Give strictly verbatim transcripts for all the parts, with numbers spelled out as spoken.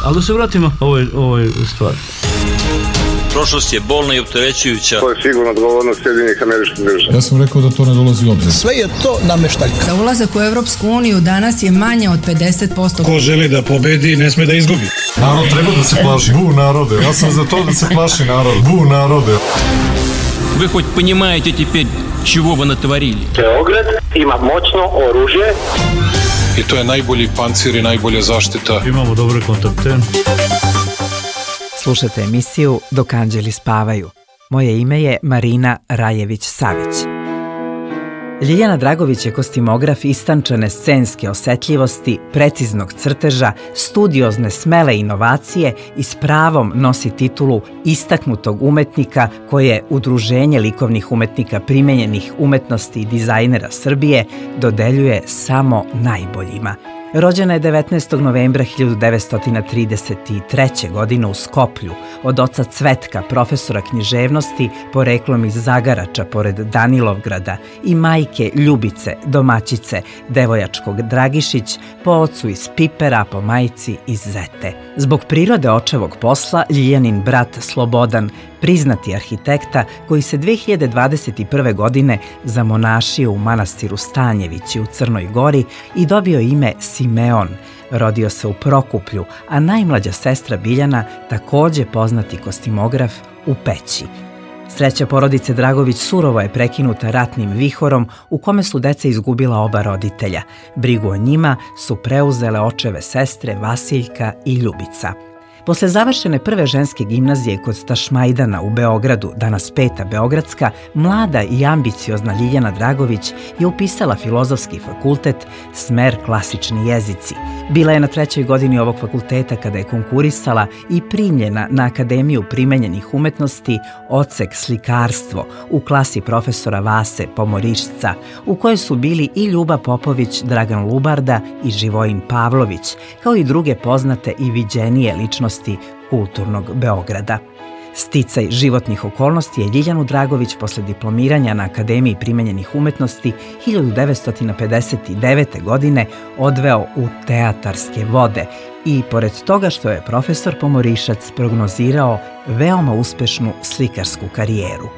Ali da se vratimo ovoj, ovoj stvari. Prošlost je bolna i opterećujuća. To je sigurno odgovornost Sjedinjenih Američkih Država. Ja sam rekao da to ne dolazi u obzir. Sve je to nameštaljka. Da ulazak u Evropsku uniju danas je manje od pedeset posto. Ko želi da pobedi, ne sme da izgubi. Narod treba da se plaši. Bu narode. Ja sam za to da se plaši narod. Bu narode. Вы хоть понимаете теперь, чего вы натворили? Beograd ima moćno oružje. I to je najbolji pancir i najbolja zaštita. Imamo dobre kontakte. Slušate emisiju Dok anđeli spavaju. Moje ime je Marina Rajević-Savić. Ljiljana Dragović je kostimograf istančane scenske osetljivosti, preciznog crteža, studiozne smele inovacije i s pravom nosi titulu istaknutog umetnika koje Udruženje likovnih umetnika primenjenih umetnosti i dizajnera Srbije dodeljuje samo najboljima. Rođena je devetnaestog novembra hiljadu devetsto trideset treće. godine u Skoplju od oca Cvetka, profesora književnosti, poreklom iz Zagarača pored Danilovgrada, i majke Ljubice, domaćice Devojačkog Dragišić, po ocu iz Pipera, po majci iz Zete. Zbog prirode očevog posla, Ljiljanin brat Slobodan, priznati arhitekta koji se dve hiljade dvadeset prve. godine zamonašio u manastiru Stanjevići u Crnoj Gori i dobio ime Simeon. Rodio se u Prokuplju, a najmlađa sestra Biljana, takođe poznati kostimograf, u Peći. Sreća porodice Dragović surovo je prekinuta ratnim vihorom u kome su deca izgubila oba roditelja. Brigu o njima su preuzele očeve sestre Vasiljka i Ljubica. Posle završene prve ženske gimnazije kod Tašmajdana u Beogradu, danas Peta Beogradska, mlada i ambiciozna Ljiljana Dragović je upisala Filozofski fakultet, smer klasični jezici. Bila je na trećoj godini ovog fakulteta kada je konkurisala i primljena na Akademiju primenjenih umetnosti, odsek slikarstvo, u klasi profesora Vase Pomorišca, u kojoj su bili i Ljuba Popović, Dragan Lubarda i Živojin Pavlović, kao i druge poznate i viđenije ličnosti kulturnog Beograda. Sticaj životnih okolnosti je Ljiljanu Dragović posle diplomiranja na Akademiji primenjenih umetnosti hiljadu devetsto pedeset devete. godine odveo u teatarske vode i, pored toga što je profesor Pomorišac prognozirao veoma uspešnu slikarsku karijeru.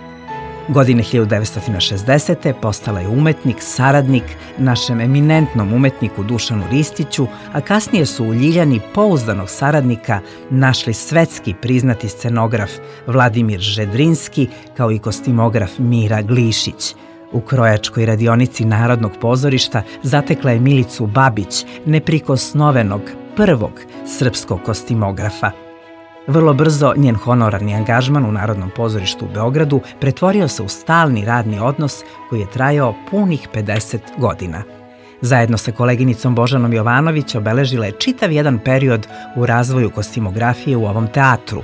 Godine hiljadu devetsto šezdesete. postala je umetnik, saradnik našem eminentnom umetniku Dušanu Ristiću, a kasnije su u Ljiljani pouzdanog saradnika našli svetski priznati scenograf Vladimir Žedrinski, kao i kostimograf Mira Glišić. U krojačkoj radionici Narodnog pozorišta zatekla je Milicu Babić, neprikosnovenog prvog srpskog kostimografa. Vrlo brzo njen honorarni angažman u Narodnom pozorištu u Beogradu pretvorio se u stalni radni odnos koji je trajao punih pedeset godina. Zajedno sa koleginicom Božanom Jovanović obeležila je čitav jedan period u razvoju kostimografije u ovom teatru.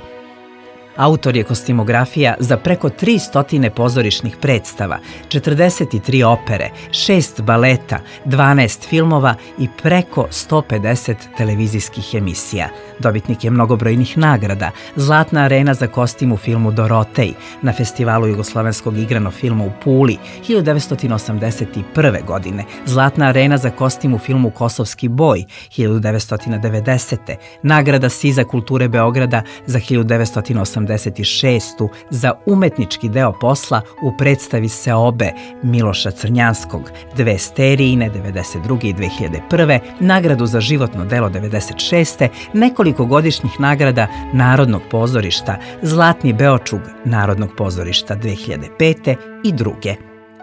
Autor je kostimografija za preko tristo pozorišnih predstava, četrdeset tri opere, šest baleta, dvanaest filmova i preko sto pedeset televizijskih emisija. Dobitnik je mnogobrojnih nagrada: Zlatna arena za kostim u filmu Dorotej na Festivalu jugoslovenskog igranog filma u Puli hiljadu devetsto osamdeset prve. godine, Zlatna arena za kostim u filmu Kosovski boj hiljadu devetsto devedesete. nagrada Siza kulture Beograda za hiljadu devetsto osamdeset šeste. za umetnički deo posla u predstavi Seobe Miloša Crnjanskog, dve sterijine devedeset druge. i dve hiljade prve. nagradu za životno delo devedeset šeste. nekoliko godišnjih nagrada Narodnog pozorišta, Zlatni Beočug Narodnog pozorišta dve hiljade pete. i druge.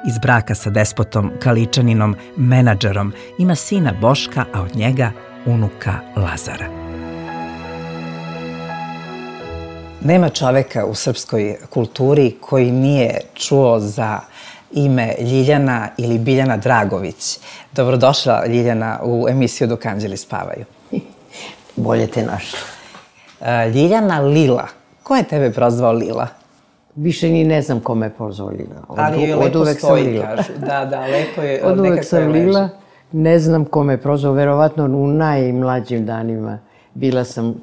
Iz braka sa despotom Kaličaninom, menadžerom, ima sina Boška, a od njega unuka Lazara. Nema čoveka u srpskoj kulturi koji nije čuo za ime Ljiljana ili Biljana Dragović. Dobrodošla, Ljiljana, u emisiju Dok anđeli spavaju. Bolje te našla. Ljiljana Lila. Ko je tebe prozvao Lila? Više ni ne znam kome je prozvao Lila. Ali je lepo stoji, kažu. Da, da, lepo je. Od uvek sam Lila. Ne znam kome je prozvao. Verovatno u najmlađim danima bila sam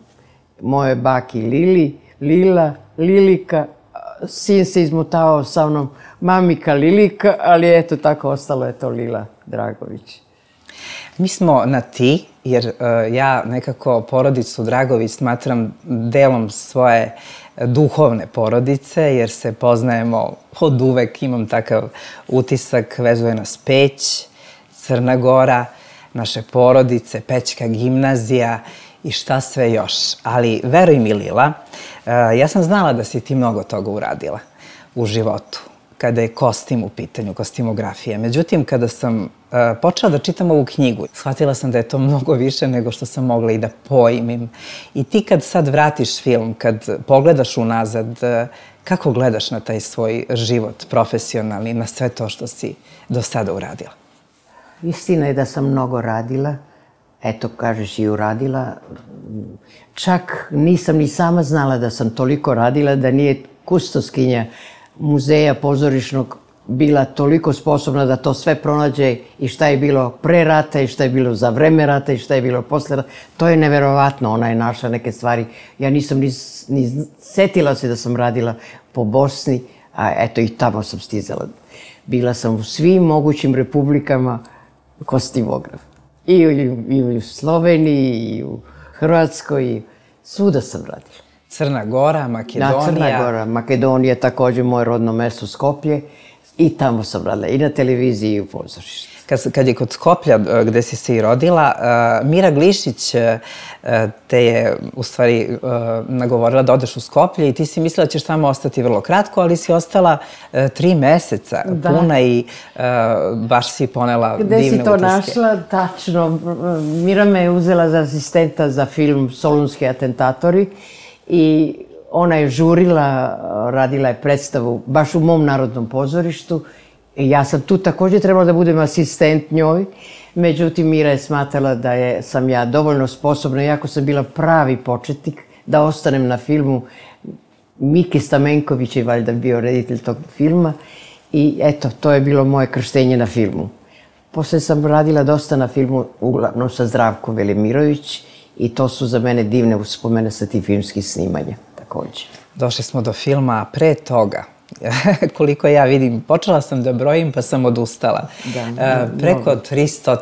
moje baki Lili, Lila, Lilika. Sin se izmotavao sa mnom, mamika Lilika, ali eto tako ostalo je to Lila Dragović. Mi smo na ti, jer uh, ja nekako porodicu Dragović smatram delom svoje duhovne porodice, jer se poznajemo od uvek, imam takav utisak, vezuje nas Peć, Crna Gora, naše porodice, Pećka gimnazija i šta sve još. Ali veruj mi, Lila, uh, ja sam znala da si ti mnogo toga uradila u životu, kada je kostim u pitanju, kostimografija. Međutim, kada sam uh, počela da čitam ovu knjigu, shvatila sam da je to mnogo više nego što sam mogla i da pojmim. I ti kad sad vratiš film, kad pogledaš unazad, uh, kako gledaš na taj svoj život profesionalni, na sve to što si do sada uradila? Istina je da sam mnogo radila. Eto, kažeš i uradila. Čak nisam ni sama znala da sam toliko radila, da nije kustoskinja muzeja pozorišnog bila toliko sposobna da to sve pronađe i šta je bilo pre rata i šta je bilo za vreme rata i šta je bilo posle rata. To je neverovatno, ona je našla neke stvari. Ja nisam ni, ni setila se da sam radila po Bosni, a eto i tamo sam stizala. Bila sam u svim mogućim republikama kostimograf. I u, i u Sloveniji, i u Hrvatskoj, i svuda sam radila. Crna Gora, Makedonija. Da, Crna Gora, Makedonija, također moje rodno mesto Skoplje. I tamo sam radila, i na televiziji, i u pozorištu. Kad, kad je kod Skoplja, gde si se i rodila, uh, Mira Glišić uh, te je, u stvari, uh, nagovorila da odeš u Skoplje i ti si mislila da ćeš tamo ostati vrlo kratko, ali si ostala uh, tri meseca da. puna i uh, baš si ponela Gde divne utiske. Gde si to utiske. Našla? Tačno. Mira me je uzela za asistenta za film Solunski atentatori i ona je žurila, radila je predstavu baš u mom Narodnom pozorištu. Ja sam tu također trebala da budem asistent njoj, međutim Mira je smatrala da je, sam ja dovoljno sposobna, iako sam bila pravi početnik, da ostanem na filmu. Miki Stamenković je valjda bio reditelj tog filma i eto, to je bilo moje krštenje na filmu. Posle sam radila dosta na filmu, uglavnom sa Zdravkom Velimirović, i to su za mene divne uspomene sa tih filmskih snimanja također. Došli smo do filma, a pre toga, koliko ja vidim, počela sam da brojim pa sam odustala. Da, da, preko tristo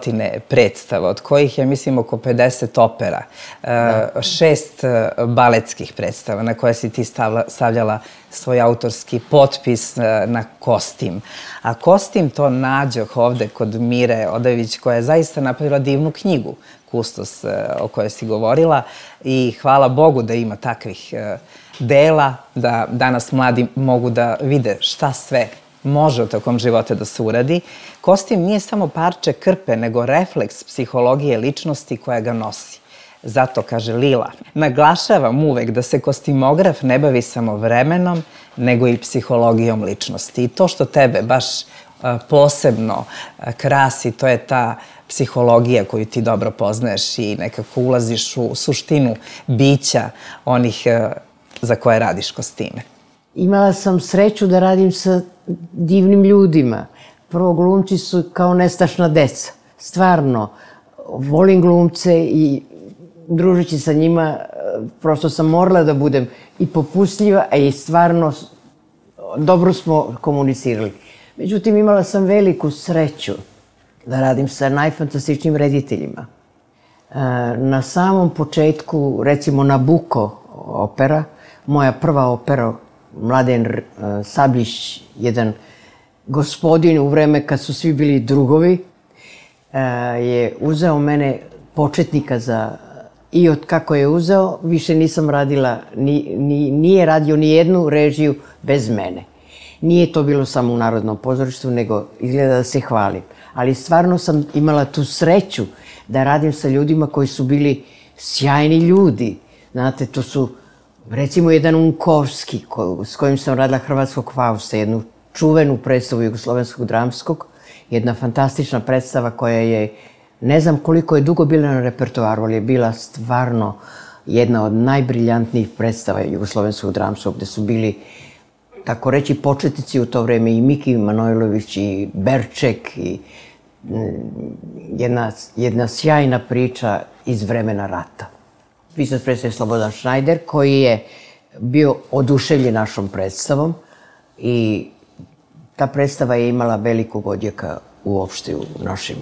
predstava, od kojih je, mislim, oko pedeset opera, da. šest baletskih predstava na koje si ti stavljala svoj autorski potpis na kostim. A kostim to nađoh ovde kod Mire Odajević, koja je zaista napravila divnu knjigu, Kustos, o kojoj si govorila, i hvala Bogu da ima takvih dela, da danas mladi mogu da vide šta sve može u takom životu da se uradi. Kostim nije samo parče krpe, nego refleks psihologije ličnosti koja ga nosi. Zato, kaže Lila, naglašavam uvek da se kostimograf ne bavi samo vremenom, nego i psihologijom ličnosti. I to što tebe baš posebno krasi, to je ta psihologija koju ti dobro poznaješ i nekako ulaziš u suštinu bića onih za koje radiš kostime. Imala sam sreću da radim sa divnim ljudima. Prvo, glumci su kao nestašna deca. Stvarno, volim glumce i družeći sa njima, prosto sam morala da budem i popustljiva, a i stvarno dobro smo komunicirali. Međutim, imala sam veliku sreću da radim sa najfantastičnijim rediteljima. Na samom početku, recimo Nabuko opera, moja prva opera, Mladen Sablić, jedan gospodin u vreme kad su svi bili drugovi, je uzeo mene početnika za... I od kako je uzeo, više nisam radila, ni, ni, nije radio ni jednu režiju bez mene. Nije to bilo samo u Narodnom pozorištu, nego izgleda da se hvalim. Ali stvarno sam imala tu sreću da radim sa ljudima koji su bili sjajni ljudi. Znate, to su, recimo, jedan Unkovski, ko, s kojim sam radila Hrvatskog Fausta, jednu čuvenu predstavu Jugoslovenskog dramskog, jedna fantastična predstava koja je, ne znam koliko je dugo bila na repertoaru, ali je bila stvarno jedna od najbriljantnijih predstava Jugoslovenskog dramskog, gde su bili, tako reći, početnici u to vreme, i Miki Manojlović, i Berček, i jedna, jedna sjajna priča iz vremena rata. Pisac predstave Slobodan Šnajder, koji je bio oduševljen našom predstavom i ta predstava je imala velikog odjeka uopšte u našim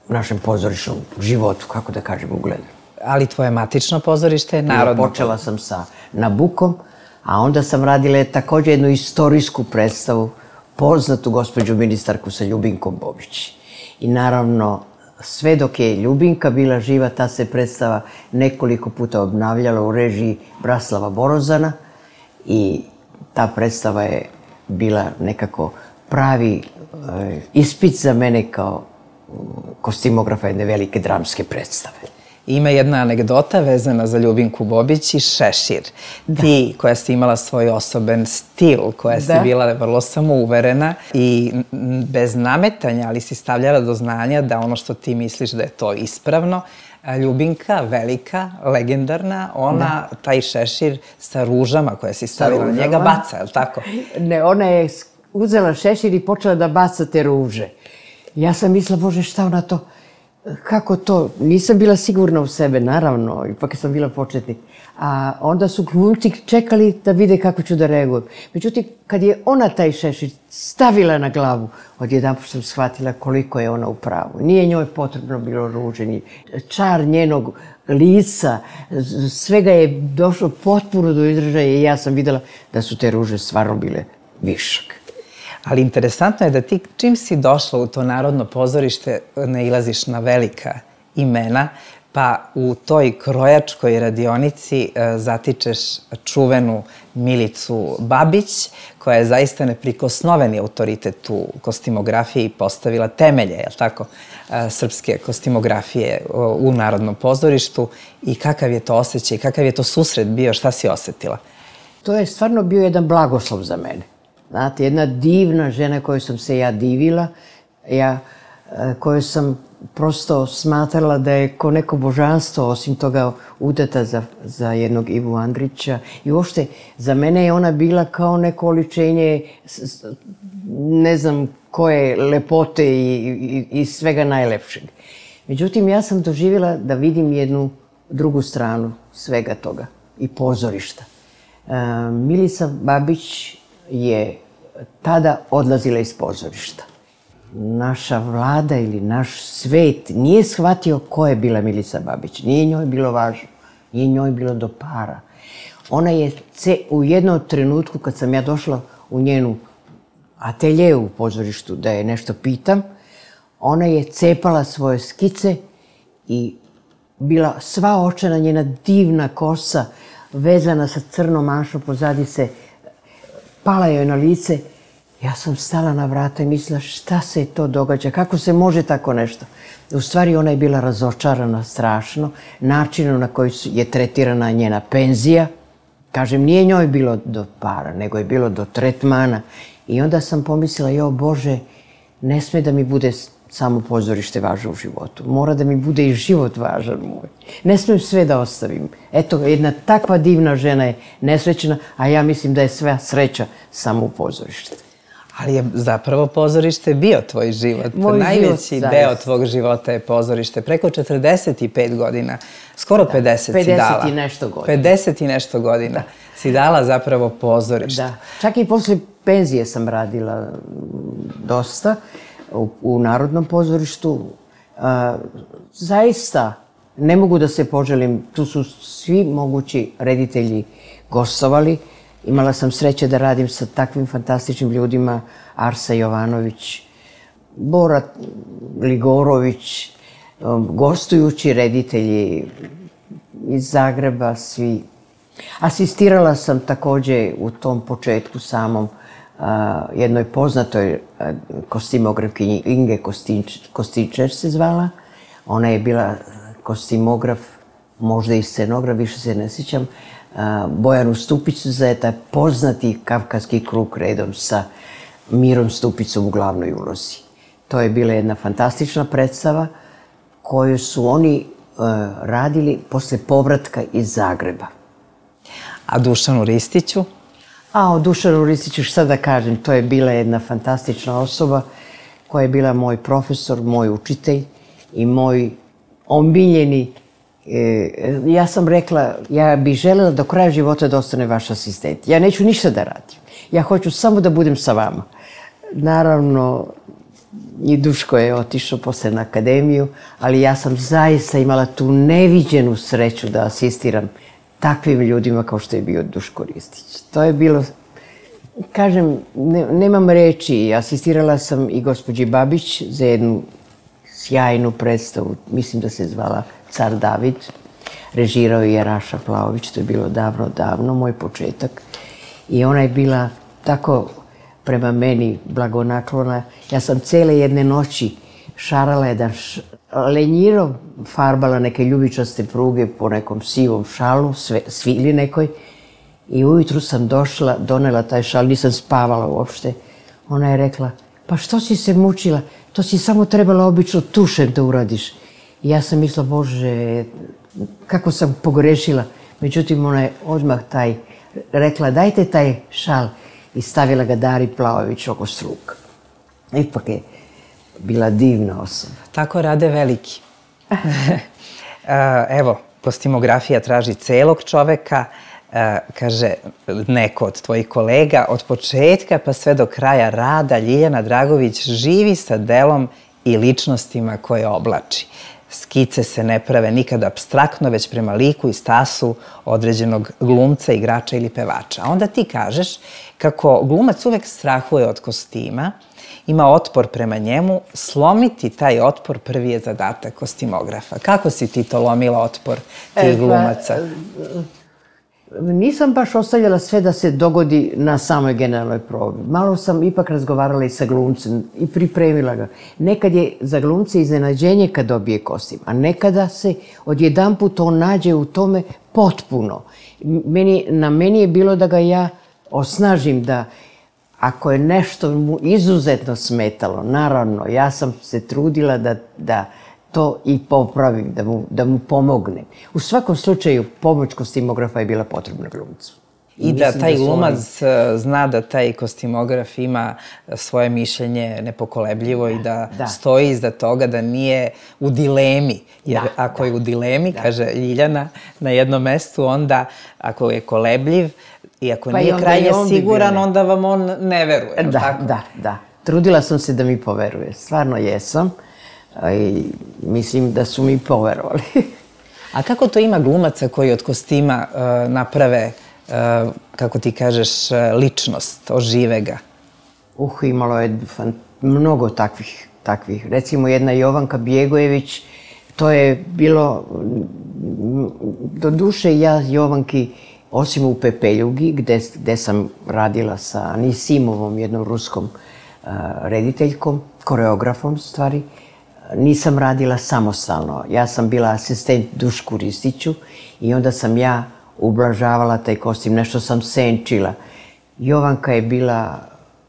našem pozorišnom životu, kako da kažem, ugledu. Ali tvoje matično pozorište je narodno. Počela sam sa Nabukom, a onda sam radila također jednu istorijsku predstavu, poznatu gospođu ministarku sa Ljubinkom Bobić. I naravno, sve dok je Ljubinka bila živa, ta se predstava nekoliko puta obnavljala u režiji Bratislava Borozana i ta predstava je bila nekako pravi e, ispit za mene kao kostimografa jedne velike dramske predstave. Ima jedna anegdota vezana za Ljubinku Bobić i šešir. Da. Ti, koja si imala svoj osoben stil, koja si da. bila vrlo samouverena i bez nametanja, ali si stavljala do znanja da ono što ti misliš da je to ispravno, Ljubinka, velika, legendarna, ona da. taj šešir sa ružama koje si stavila na njega baca, je li tako? Ne, ona je uzela šešir i počela da baca te ruže. Ja sam mislila, Bože, šta ona to... Kako to? Nisam bila sigurna u sebe, naravno, ipak sam bila početnik. A onda su glumci čekali da vide kako ću da reagujem. Međutim, kad je ona taj šešir stavila na glavu, odjedanput sam shvatila koliko je ona u pravu. Nije njoj potrebno bilo ruže, ni čar njenog lica, svega je došlo potpuno do izražaja i ja sam videla da su te ruže stvarno bile višak. Ali interesantno je da ti, čim si došla u to narodno pozorište, nailaziš na velika imena, pa u toj krojačkoj radionici zatičeš čuvenu Milicu Babić, koja je zaista neprikosnoveni autoritet u kostimografiji i postavila temelje, je li tako, srpske kostimografije u Narodnom pozorištu. I kakav je to osjećaj, kakav je to susret bio, šta si osetila? To je stvarno bio jedan blagoslov za mene. Znate, jedna divna žena koju sam se ja divila, ja, koju sam prosto smatrala da je ko neko božanstvo, osim toga udata za, za jednog Ivu Andrića. I uopšte, za mene je ona bila kao neko oličenje, ne znam koje lepote i, i, i svega najlepšeg. Međutim, ja sam doživjela da vidim jednu drugu stranu svega toga i pozorišta. E, Milica Babić je tada odlazila iz pozorišta. Naša vlada ili naš svet nije shvatio ko je bila Milica Babić. Nije njoj bilo važno. Nije njoj bilo do para. Ona je u jednom trenutku, kad sam ja došla u njenu atelje u pozorištu da je nešto pitam, ona je cepala svoje skice i bila sva očena, njena divna kosa, vezana sa crnom manšom, pozadi se pala joj na lice. Ja sam stala na vrata i mislila šta se to događa, kako se može tako nešto. U stvari ona je bila razočarana strašno, načinom na koji je tretirana njena penzija. Kažem, nije njoj bilo do para, nego je bilo do tretmana. I onda sam pomislila, jo Bože, ne sme da mi bude samo pozorište važno u životu. Mora da mi bude i život važan moj. Ne smem sve da ostavim. Eto, jedna takva divna žena je nesrećna, a ja mislim da je sva sreća samo u pozorište. Ali je zapravo pozorište bio tvoj život. Moj Najveći život, deo tvog života je pozorište. Preko četrdeset pet godina, skoro da, pedeset, pedeset si dala. pedeset i nešto godina. pedeset i nešto godina si dala zapravo pozorište. Da. Čak i posle penzije sam radila dosta u, u Narodnom pozorištu. A, zaista ne mogu da se poželim. Tu su svi mogući reditelji gostovali. Imala sam sreće da radim sa takvim fantastičnim ljudima, Arsa Jovanović, Bora Ligorović, gostujući reditelji iz Zagreba, svi. Asistirala sam također u tom početku samom a, jednoj poznatoj a, kostimografkinji, Inge Kostinčer se zvala. Ona je bila kostimograf, možda i scenograf, više se ne sjećam, Bojanu Stupicu za taj poznati Kavkaski krug redom sa Mirom Stupicom u glavnoj ulozi. To je bila jedna fantastična predstava koju su oni uh, radili posle povratka iz Zagreba. A Dušanu Ristiću? A o Dušanu Ristiću šta da kažem, to je bila jedna fantastična osoba koja je bila moj profesor, moj učitelj i moj omiljeni. Ja sam rekla, ja bih želela do kraja života da ostane vaš asistent. Ja neću ništa da radim. Ja hoću samo da budem sa vama. Naravno, i Duško je otišao posle na akademiju, ali ja sam zaista imala tu neviđenu sreću da asistiram takvim ljudima kao što je bio Duško Ristić. To je bilo, kažem, ne, nemam reči, asistirala sam i gospođi Babić za jednu sjajnu predstavu, mislim da se zvala Car David, režirao je Raša Plaović, to je bilo davno, davno, moj početak. I ona je bila tako prema meni blagonaklona. Ja sam cele jedne noći šarala jedan š... lenjiro, farbala neke ljubičaste pruge po nekom sivom šalu, sve, svili nekoj. I ujutru sam došla, donela taj šal, nisam spavala uopšte. Ona je rekla, pa što si se mučila? To si samo trebala obično tušem da uradiš. I ja sam mislila, Bože, kako sam pogrešila. Međutim, ona je odmah taj rekla, dajte taj šal. I stavila ga Dari Plaović oko struka. Ipak je bila divna osoba. Tako rade veliki. Evo, kostimografija traži celog čoveka. Kaže neko od tvojih kolega, od početka pa sve do kraja rada Ljiljana Dragović živi sa delom i ličnostima koje oblači. Skice se ne prave nikad apstraktno, već prema liku i stasu određenog glumca, igrača ili pevača. A onda ti kažeš kako glumac uvek strahuje od kostima, ima otpor prema njemu, slomiti taj otpor prvi je zadatak kostimografa. Kako si ti to lomila otpor tih glumaca? Nisam baš ostavljala sve da se dogodi na samoj generalnoj probi. Malo sam ipak razgovarala i sa glumcem i pripremila ga. Nekad je za glumce iznenađenje kad dobije kostim, a nekada se odjedanput on nađe u tome potpuno. Meni, na meni je bilo da ga ja osnažim, da ako je nešto mu izuzetno smetalo, naravno, ja sam se trudila da, da to i popravim, da mu, da mu pomognem. U svakom slučaju, pomoć kostimografa je bila potrebna glumcu. I da taj glumac zna da taj kostimograf ima svoje mišljenje nepokolebljivo i da stoji iza toga, da nije u dilemi. Jer ako je u dilemi, kaže Ljiljana na jednom mestu, onda ako je kolebljiv i ako nije krajnje siguran, onda vam on ne veruje. Da, da, da. Trudila sam se da mi poveruje. Stvarno jesam. I mislim da su mi poverovali. A kako to ima glumaca koji od kostima naprave, kako ti kažeš, ličnost, ožive ga? Uh, imalo je mnogo takvih, takvih. Recimo jedna Jovanka Bjegojević, to je bilo, do duše ja Jovanki, osim u Pepeljugi, gde, gde sam radila sa Anisimovom, jednom ruskom uh, rediteljkom, koreografom stvari, nisam radila samostalno. Ja sam bila asistent Dušku Ristiću i onda sam ja ublažavala taj kostim, nešto sam senčila. Jovanka je bila,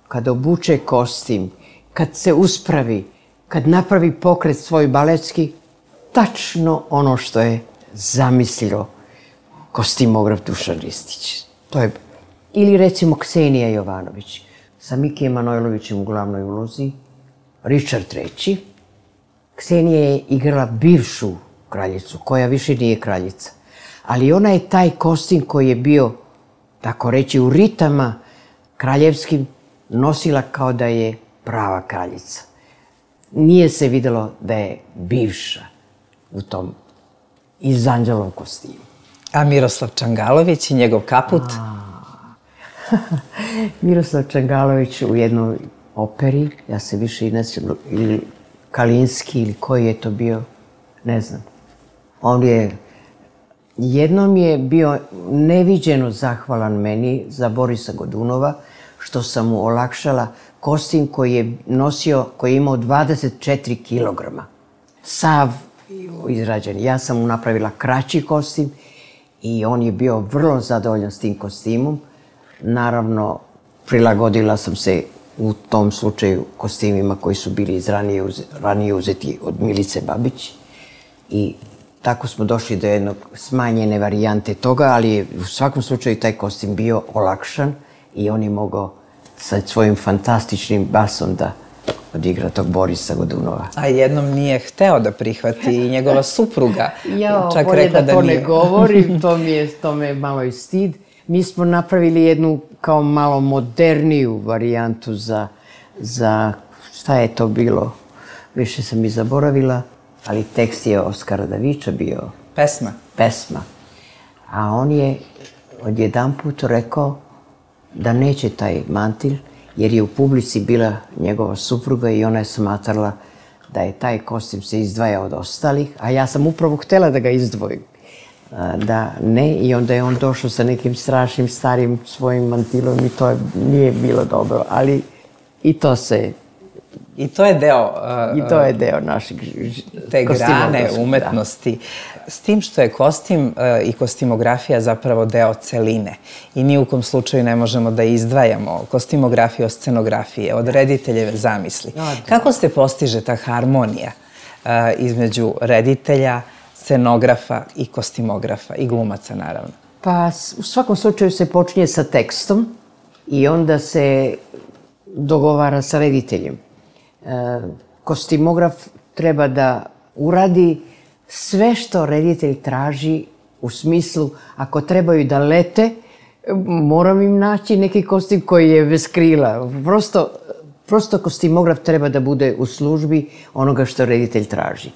kad obuče kostim, kad se uspravi, kad napravi pokret svoj baletski, tačno ono što je zamislio kostimograf Dušan Ristić. To je, ili recimo Ksenija Jovanović, sa Mikijem Manojlovićem u glavnoj ulozi, Richard treći. Ksenija je igrala bivšu kraljicu, koja više nije kraljica. Ali ona je taj kostim koji je bio, tako reći, u ritama kraljevskim, nosila kao da je prava kraljica. Nije se videlo da je bivša u tom izanđelom kostimu. A Miroslav Čangalović i njegov kaput? Miroslav Čangalović u jednoj operi, ja se više i ne sjećam, ili Kalinski ili koji je to bio, ne znam. On je, jednom je bio neviđeno zahvalan meni za Borisa Godunova, što sam mu olakšala kostim koji je nosio, koji je imao dvadeset četiri kilograma. Sav izrađen. Ja sam mu napravila kraći kostim i on je bio vrlo zadovoljan s tim kostimom. Naravno, prilagodila sam se u tom slučaju kostimima koji su bili iz ranije, ranije uzeti od Milice Babić. I tako smo došli do jednog smanjene varijante toga, ali je u svakom slučaju taj kostim bio olakšan i on je mogao sa svojim fantastičnim basom da odigra tog Borisa Godunova. A jednom nije hteo da prihvati i njegova supruga. Ja, čak bolje rekla da, da to nije. Ne govorim, to mi je, to me je malo i stid. Mi smo napravili jednu kao malo moderniju varijantu za, za šta je to bilo, više sam i zaboravila, ali tekst je Oskara Davića bio. Pesma? Pesma. A on je odjedanput rekao da neće taj mantil, jer je u publici bila njegova supruga i ona je smatrala da je taj kostim se izdvaja od ostalih, a ja sam upravo htjela da ga izdvojim. Da ne, i onda je on došao sa nekim strašnim starim svojim mantilom i to je, nije bilo dobro, ali i to se... I to je deo... Uh, I to je deo našeg te grane umetnosti. Da. S tim što je kostim uh, i kostimografija zapravo deo celine. I ni u kom slučaju ne možemo da izdvajamo kostimografiju od scenografije, od rediteljeve zamisli. Da. Kako se postiže ta harmonija uh, između reditelja, scenografa i kostimografa i glumaca, naravno? Pa u svakom slučaju se počinje sa tekstom i onda se dogovara sa rediteljem. Kostimograf treba da uradi sve što reditelj traži, u smislu, ako trebaju da lete, moram im naći neki kostim koji je bez krila. Prosto, prosto kostimograf treba da bude u službi onoga što reditelj traži.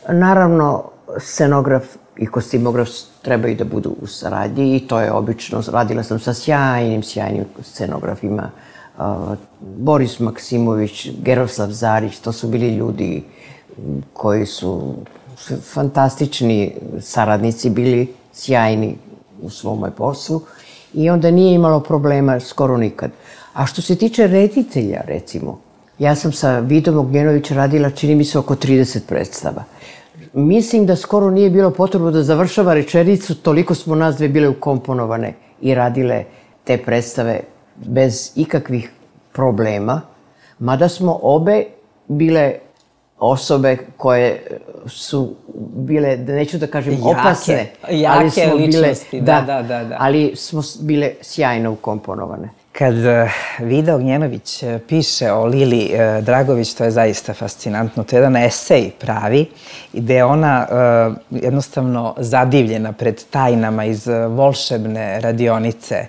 Naravno, scenograf i kostimograf trebaju da budu u saradnji i to je obično. Radila sam sa sjajnim, sjajnim scenografima. Uh, Boris Maksimović, Geroslav Zarić, to su bili ljudi koji su fantastični saradnici, bili sjajni u svome poslu i onda nije imalo problema skoro nikad. A što se tiče reditelja, recimo, ja sam sa Vidom Ognjenović radila, čini mi se, oko trideset predstava. Mislim da skoro nije bilo potrebno da završava rečenicu, toliko smo nas dve bile ukomponovane i radile te predstave bez ikakvih problema, mada smo obe bile osobe koje su bile, neću da kažem jake, opasne, jake ali smo ličnosti, bile, da, da, da, da. ali smo bile sjajno ukomponovane. Kad Vida Ognjenović piše o Lili Dragović, to je zaista fascinantno. To je jedan esej pravi, gde je ona uh, jednostavno zadivljena pred tajnama iz volšebne radionice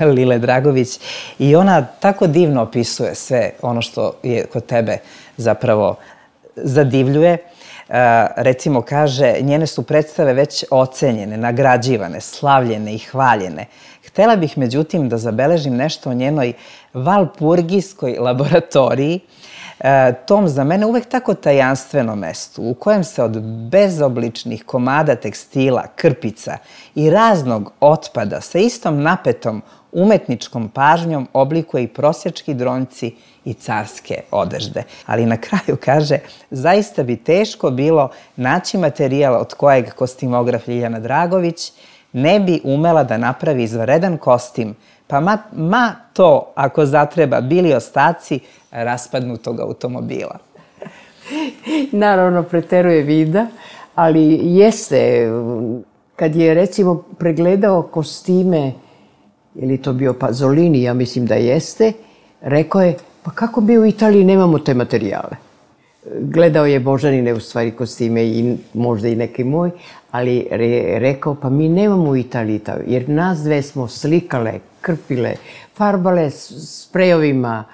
Lile Dragović i ona tako divno opisuje sve ono što je kod tebe zapravo zadivljuje. Uh, recimo kaže, njene su predstave već ocenjene, nagrađivane, slavljene i hvaljene. Htela bih, međutim, da zabeležim nešto o njenoj valpurgijskoj laboratoriji, e, tom za mene uvek tako tajanstvenom mestu, u kojem se od bezobličnih komada tekstila, krpica i raznog otpada sa istom napetom umetničkom pažnjom oblikuje i prosjački dronjci i carske odežde. Ali na kraju kaže, zaista bi teško bilo naći materijal od kojeg kostimograf Ljiljana Dragović ne bi umela da napravi izvanredan kostim, pa ma, ma to, ako zatreba, bili ostaci raspadnutog automobila. Naravno, preteruje Vida, ali jeste, kad je recimo pregledao kostime, je li to bio Pazolini, ja mislim da jeste, rekao je, pa kako bi u Italiji nemamo te materijale? Gledao je Božanine, u stvari, kostime i možda i neki moj, ali je rekao, pa mi nemamo u Italiji, jer nas dve smo slikale, krpile, farbale sprejovima,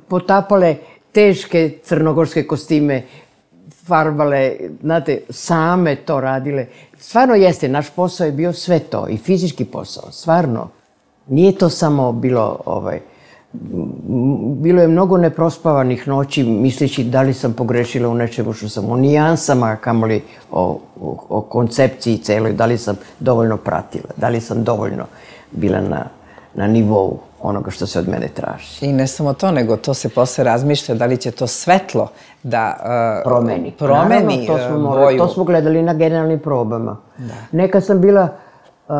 potapale teške crnogorske kostime, farbale, znate, same to radile. Stvarno jeste, naš posao je bio sve to, i fizički posao, stvarno. Nije to samo bilo, ovaj, bilo je mnogo neprospavanih noći, misleći da li sam pogrešila u nečemu što sam, o nijansama, kamoli o, o, o koncepciji celoj, da li sam dovoljno pratila, da li sam dovoljno bila na, na nivou onoga što se od mene traži. I ne samo to, nego to se posle razmišlja da li će to svetlo da uh, promeni. promeni Naravno, to smo, uh, morali, boju. To smo gledali na generalnim probama. Da. Neka sam bila, uh,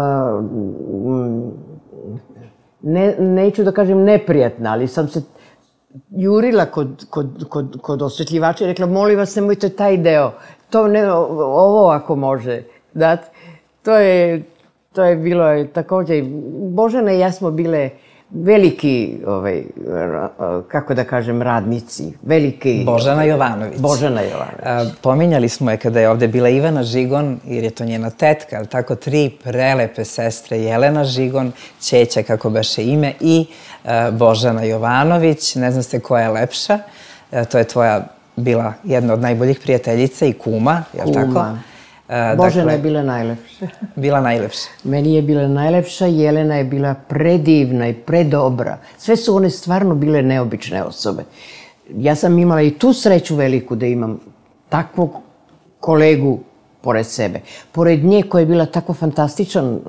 ne, neću da kažem neprijatna, ali sam se jurila kod, kod, kod, kod osvetljivača i rekla, molim vas, nemojte taj deo, to ne, ovo ako može dati. To je, to je bilo je, također, Božana i ja smo bile veliki, ovaj, kako da kažem, radnici, veliki... Božana Jovanović. Božana Jovanović. A, pominjali smo je kada je ovde bila Ivana Žigon, jer je to njena tetka, ali tako tri prelepe sestre, Jelena Žigon, ćeća, kako beše ime, i a, Božana Jovanović, ne znam se koja je lepša. to je tvoja bila jedna od najboljih prijateljica i kuma, je li tako? Kuma. Božena je bila najlepša. Bila najlepša. Meni je bila najlepša, Jelena je bila predivna i predobra. Sve su one stvarno bile neobične osobe. Ja sam imala i tu sreću veliku da imam takvog kolegu pored sebe. Pored nje koja je bila tako fantastičan uh,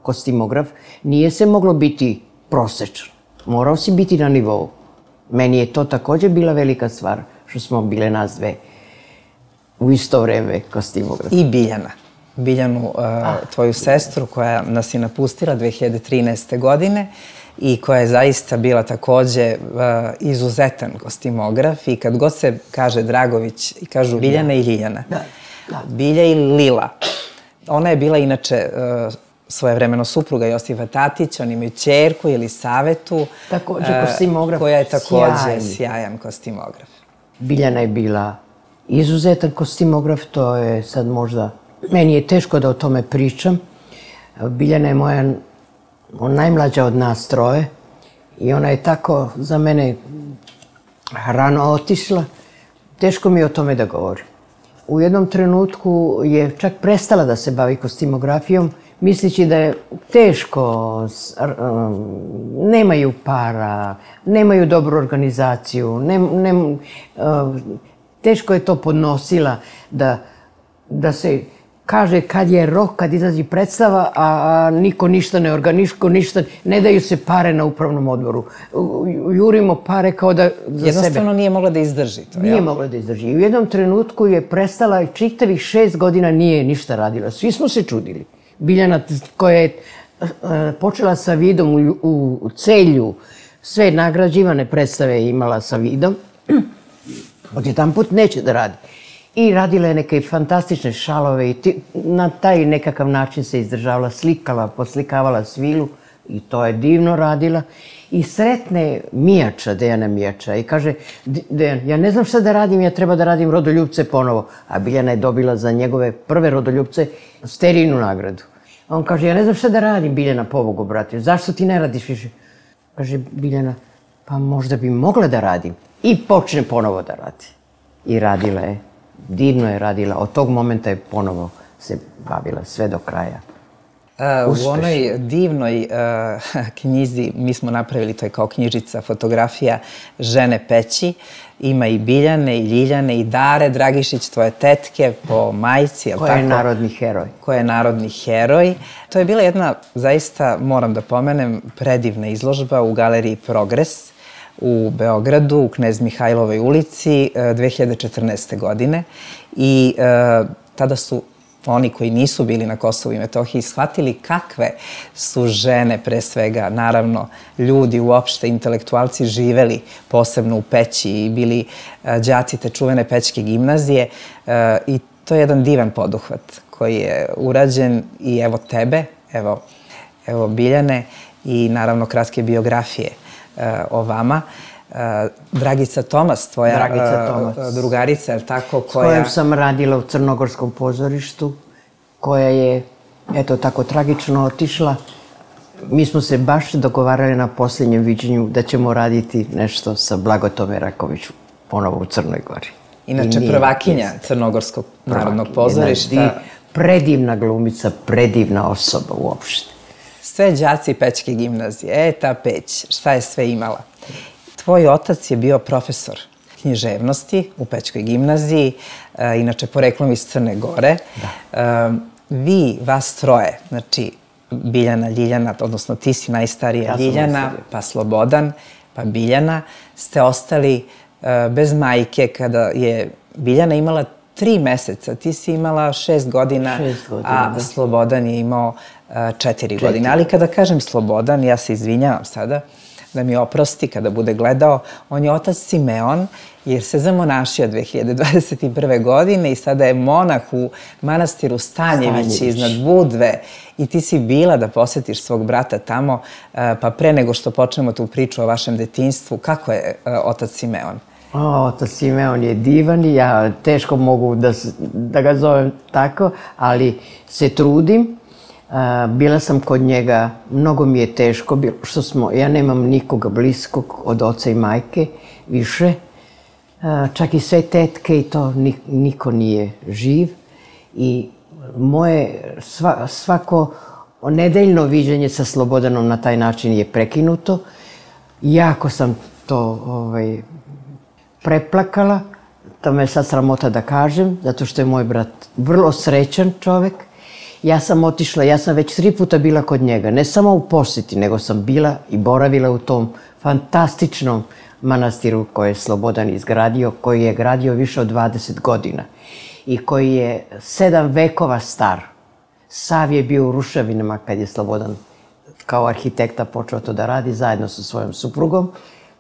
kostimograf, nije se moglo biti prosečan. Morao si biti na nivou. Meni je to također bila velika stvar, što smo bile nas dve u isto vreme kostimografi. I Biljana. Biljanu, uh, tvoju sestru koja nas je napustila dve hiljade trinaeste. godine i koja je zaista bila također uh, izuzetan kostimograf i kad god se kaže Dragović i kažu Biljana i Ljiljana. Da, da. Bilja i Lila. Ona je bila inače uh, svojevremeno supruga Josipa Tatića, oni imaju ćerku ili Savetu. Također kostimograf. Koja je također sjajan kostimograf. Biljana je bila izuzetan kostimograf, to je sad možda... Meni je teško da o tome pričam. Biljana je moja najmlađa od nas troje i ona je tako za mene rano otišla. Teško mi je o tome da govorim. U jednom trenutku je čak prestala da se bavi kostimografijom, misleći da je teško, nemaju para, nemaju dobru organizaciju, ne, ne, teško je to podnosila da, da se kaže kad je rok, kad izlazi predstava, a niko ništa ne organiško, ništa, ne daju se pare na upravnom odboru. Jurimo pare kao da za sebe. Jednostavno nije mogla da izdrži to, Nije mogla da izdrži. I u jednom trenutku je prestala i čitavih šest godina nije ništa radila. Svi smo se čudili. Biljana koja je počela sa Vidom u, u, u Celju, sve nagrađivane predstave imala sa Vidom, odjedan put neće da radi. I radila je neke fantastične šalove i ti, na taj nekakav način se izdržavala, slikala, poslikavala svilu i to je divno radila. I sretne Mijača, Dejana Mijača i kaže, Dejan, ja ne znam šta da radim, ja treba da radim Rodoljubce ponovo. A Biljana je dobila za njegove prve Rodoljubce Sterijinu nagradu. A on kaže, ja ne znam šta da radim, Biljana, pobogu, brate, zašto ti ne radiš više? Kaže Biljana, pa možda bi mogla da radim. I počne ponovo da radi. I radila je. Divno je radila. Od tog momenta je ponovo se bavila sve do kraja. Uh, u onoj divnoj uh, knjizi, mi smo napravili, to je kao knjižica, fotografija Žene peći, ima i Biljane, i Ljiljane, i Dare Dragišić, tvoje tetke po majci, jel tako? Koja je narodni heroj. Koja je narodni heroj. To je bila jedna, zaista, moram da pomenem, predivna izložba u galeriji Progres u Beogradu, u Knez Mihajlovoj ulici, dve hiljade četrnaeste. godine. I uh, tada su oni koji nisu bili na Kosovu i Metohiji shvatili kakve su žene, pre svega, naravno, ljudi uopšte, intelektualci živeli posebno u Peći i bili đaci te čuvene Pećke gimnazije. I to je jedan divan poduhvat koji je urađen i evo tebe, evo, evo Biljane i naravno kratke biografije o vama. Dragica Tomas, tvoja Dragica Tomas. drugarica, je li tako? Koja... S kojom sam radila u Crnogorskom pozorištu, koja je, eto, tako tragično otišla. Mi smo se baš dogovarali na posljednjem viđenju da ćemo raditi nešto sa Blagotome Rakoviću, ponovo u Crnoj Gori. Inače, prvakinja Crnogorskog narodnog pozorišta. Predivna glumica, predivna osoba uopšte. Sve đaci Pećke gimnazije, e, ta Peć, šta je sve imala? Tvoj otac je bio profesor književnosti u Pećkoj gimnaziji, inače poreklom iz Crne Gore. Da. Vi, vas troje, znači Biljana, Ljiljana, odnosno ti si najstarija, ja Ljiljana, pa Slobodan, pa Biljana, ste ostali bez majke kada je Biljana imala tri meseca, ti si imala šest godina, šest godina a da. Slobodan je imao četiri godine. Ali kada kažem Slobodan, ja se izvinjavam sada, da mi oprosti kada bude gledao, on je otac Simeon, jer se zamonašio dve hiljade dvadeset prve. godine i sada je monah u manastiru Stanjević, Stanjević iznad Budve. I ti si bila da posjetiš svog brata tamo, pa pre nego što počnemo tu priču o vašem detinjstvu, kako je otac Simeon? O, otac Simeon je divan i ja teško mogu da, da ga zovem tako, ali se trudim. Uh, bila sam kod njega, mnogo mi je teško bilo što smo, ja nemam nikoga bliskog od oca i majke više. čak i sve tetke i to niko nije živ. I moje sva, svako nedeljno viđenje sa Slobodanom na taj način je prekinuto. Jako sam to ovaj, preplakala, to me je sad sramota da kažem, zato što je moj brat vrlo srećan čovek. Ja sam otišla, ja sam već tri puta bila kod njega, ne samo u posjeti, nego sam bila i boravila u tom fantastičnom manastiru koji je Slobodan izgradio, koji je gradio više od dvadeset godina i koji je sedam vekova star. Sav je bio u ruševinama kad je Slobodan kao arhitekta počeo to da radi zajedno sa svojom suprugom,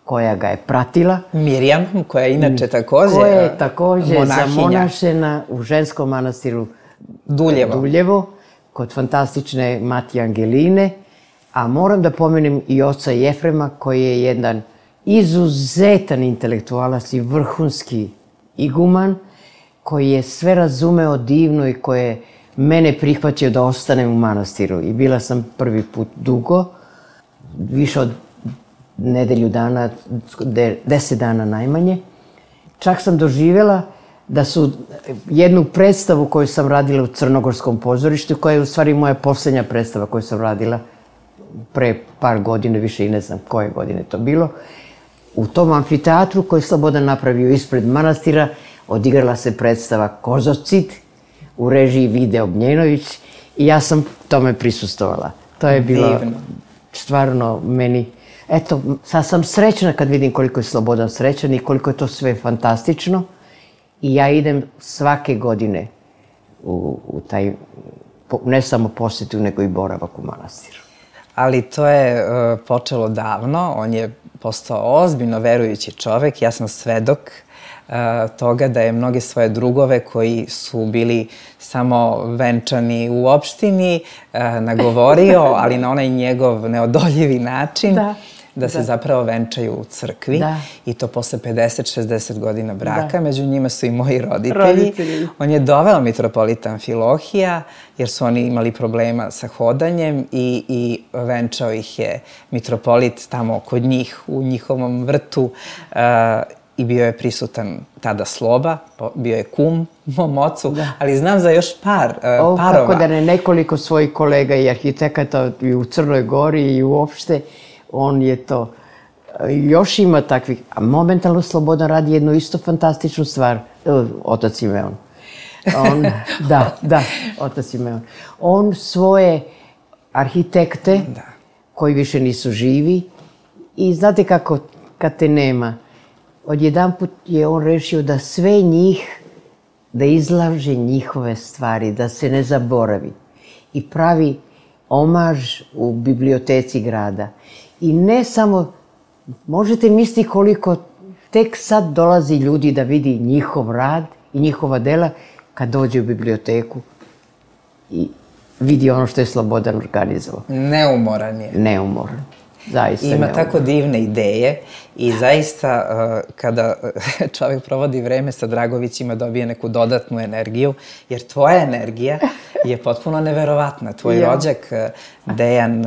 koja ga je pratila. Mirjam, koja je inače takođe koja je takođe monahinja. Zamonašena u ženskom manastiru Duljevo. Duljevo, kod fantastične Matije Angeline. A moram da pomenem i oca Jefrema, koji je jedan izuzetan intelektualac i vrhunski iguman, koji je sve razumeo divno i koji je mene prihvatio da ostanem u manastiru. I bila sam prvi put dugo, više od nedelju dana, deset dana najmanje. Čak sam doživjela da su jednu predstavu koju sam radila u Crnogorskom pozorištu, koja je u stvari moja posljednja predstava koju sam radila pre par godine, više i ne znam koje godine to bilo, u tom amfiteatru koji je Slobodan napravio ispred manastira, odigrala se predstava Kozocid u režiji Vide Ognjenović i ja sam tome prisustovala. To je bilo stvarno meni... Eto, sad sam srećna kad vidim koliko je Slobodan srećan i koliko je to sve fantastično. I ja idem svake godine u, u taj, ne samo posjetu, nego i boravak u manastiru. Ali to je uh, počelo davno, on je postao ozbiljno verujući čovek. Ja sam svedok uh, toga da je mnoge svoje drugove koji su bili samo venčani u opštini uh, nagovorio, ali na onaj njegov neodoljivi način. Da. Da se da. zapravo venčaju u crkvi da. I to posle pedeset šezdeset godina braka. Da. Među njima su i moji roditelji. roditelji. On je doveo mitropolita Amfilohija jer su oni imali problema sa hodanjem i, i venčao ih je mitropolit tamo kod njih u njihovom vrtu uh, i bio je prisutan tada Sloba, bio je kum mom ocu, da. Ali znam za još par uh, o, parova. Tako da ne nekoliko svojih kolega i arhitekata i u Crnoj Gori i uopšte. On je to, još ima takvih, a momentalno Slobodan radi jednu isto fantastičnu stvar, otac Simeon. On, da, da, otac Simeon. On svoje arhitekte, da. Koji više nisu živi, i znate kako, kad te nema, odjedanput je on rešio da sve njih, da izlaže njihove stvari, da se ne zaboravi. I pravi omaž u biblioteci grada. I ne samo, možete misliti koliko tek sad dolazi ljudi da vidi njihov rad i njihova dela kad dođe u biblioteku i vidi ono što je Slobodan organizovao. Neumoran je. Neumoran. Zaista ima neumoran. Tako divne ideje i zaista kada čovjek provodi vreme sa Dragovićima dobije neku dodatnu energiju, jer tvoja energija je potpuno neverovatna. Tvoj ja. rođak Dejan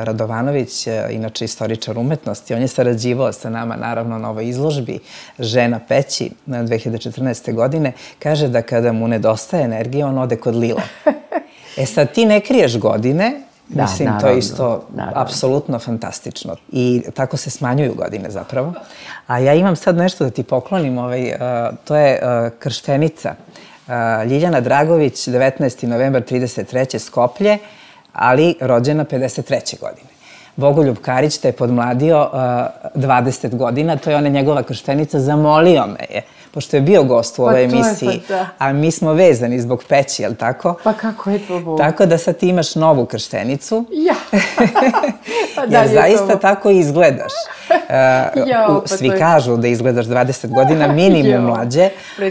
Radovanović, inače istoričar umetnosti, on je sarađivao sa nama naravno na ovoj izložbi Žena peći dve hiljade četrnaeste. godine, kaže da kada mu nedostaje energije on ode kod Lila. E sad ti ne kriješ godine. Da, mislim, naravno, to je isto naravno. Apsolutno fantastično. I tako se smanjuju godine zapravo. A ja imam sad nešto da ti poklonim. Ovaj, uh, to je uh, krštenica. Uh, Ljiljana Dragović, devetnaesti novembar trideset treće. Skoplje, ali rođena pedeset treće. godine. Bogoljub Karić te je podmladio uh, dvadeset godina. To je ona njegova krštenica. Zamolio me je, pošto je bio gost u ovoj pa emisiji, pa a mi smo vezani zbog peći, jel tako? Pa kako je to Bog? Tako da sad ti imaš novu krštenicu. Ja! Pa da, jer zaista to... tako izgledaš. Uh, ja, pa svi to... kažu da izgledaš dvadeset godina minimum ja, mlađe,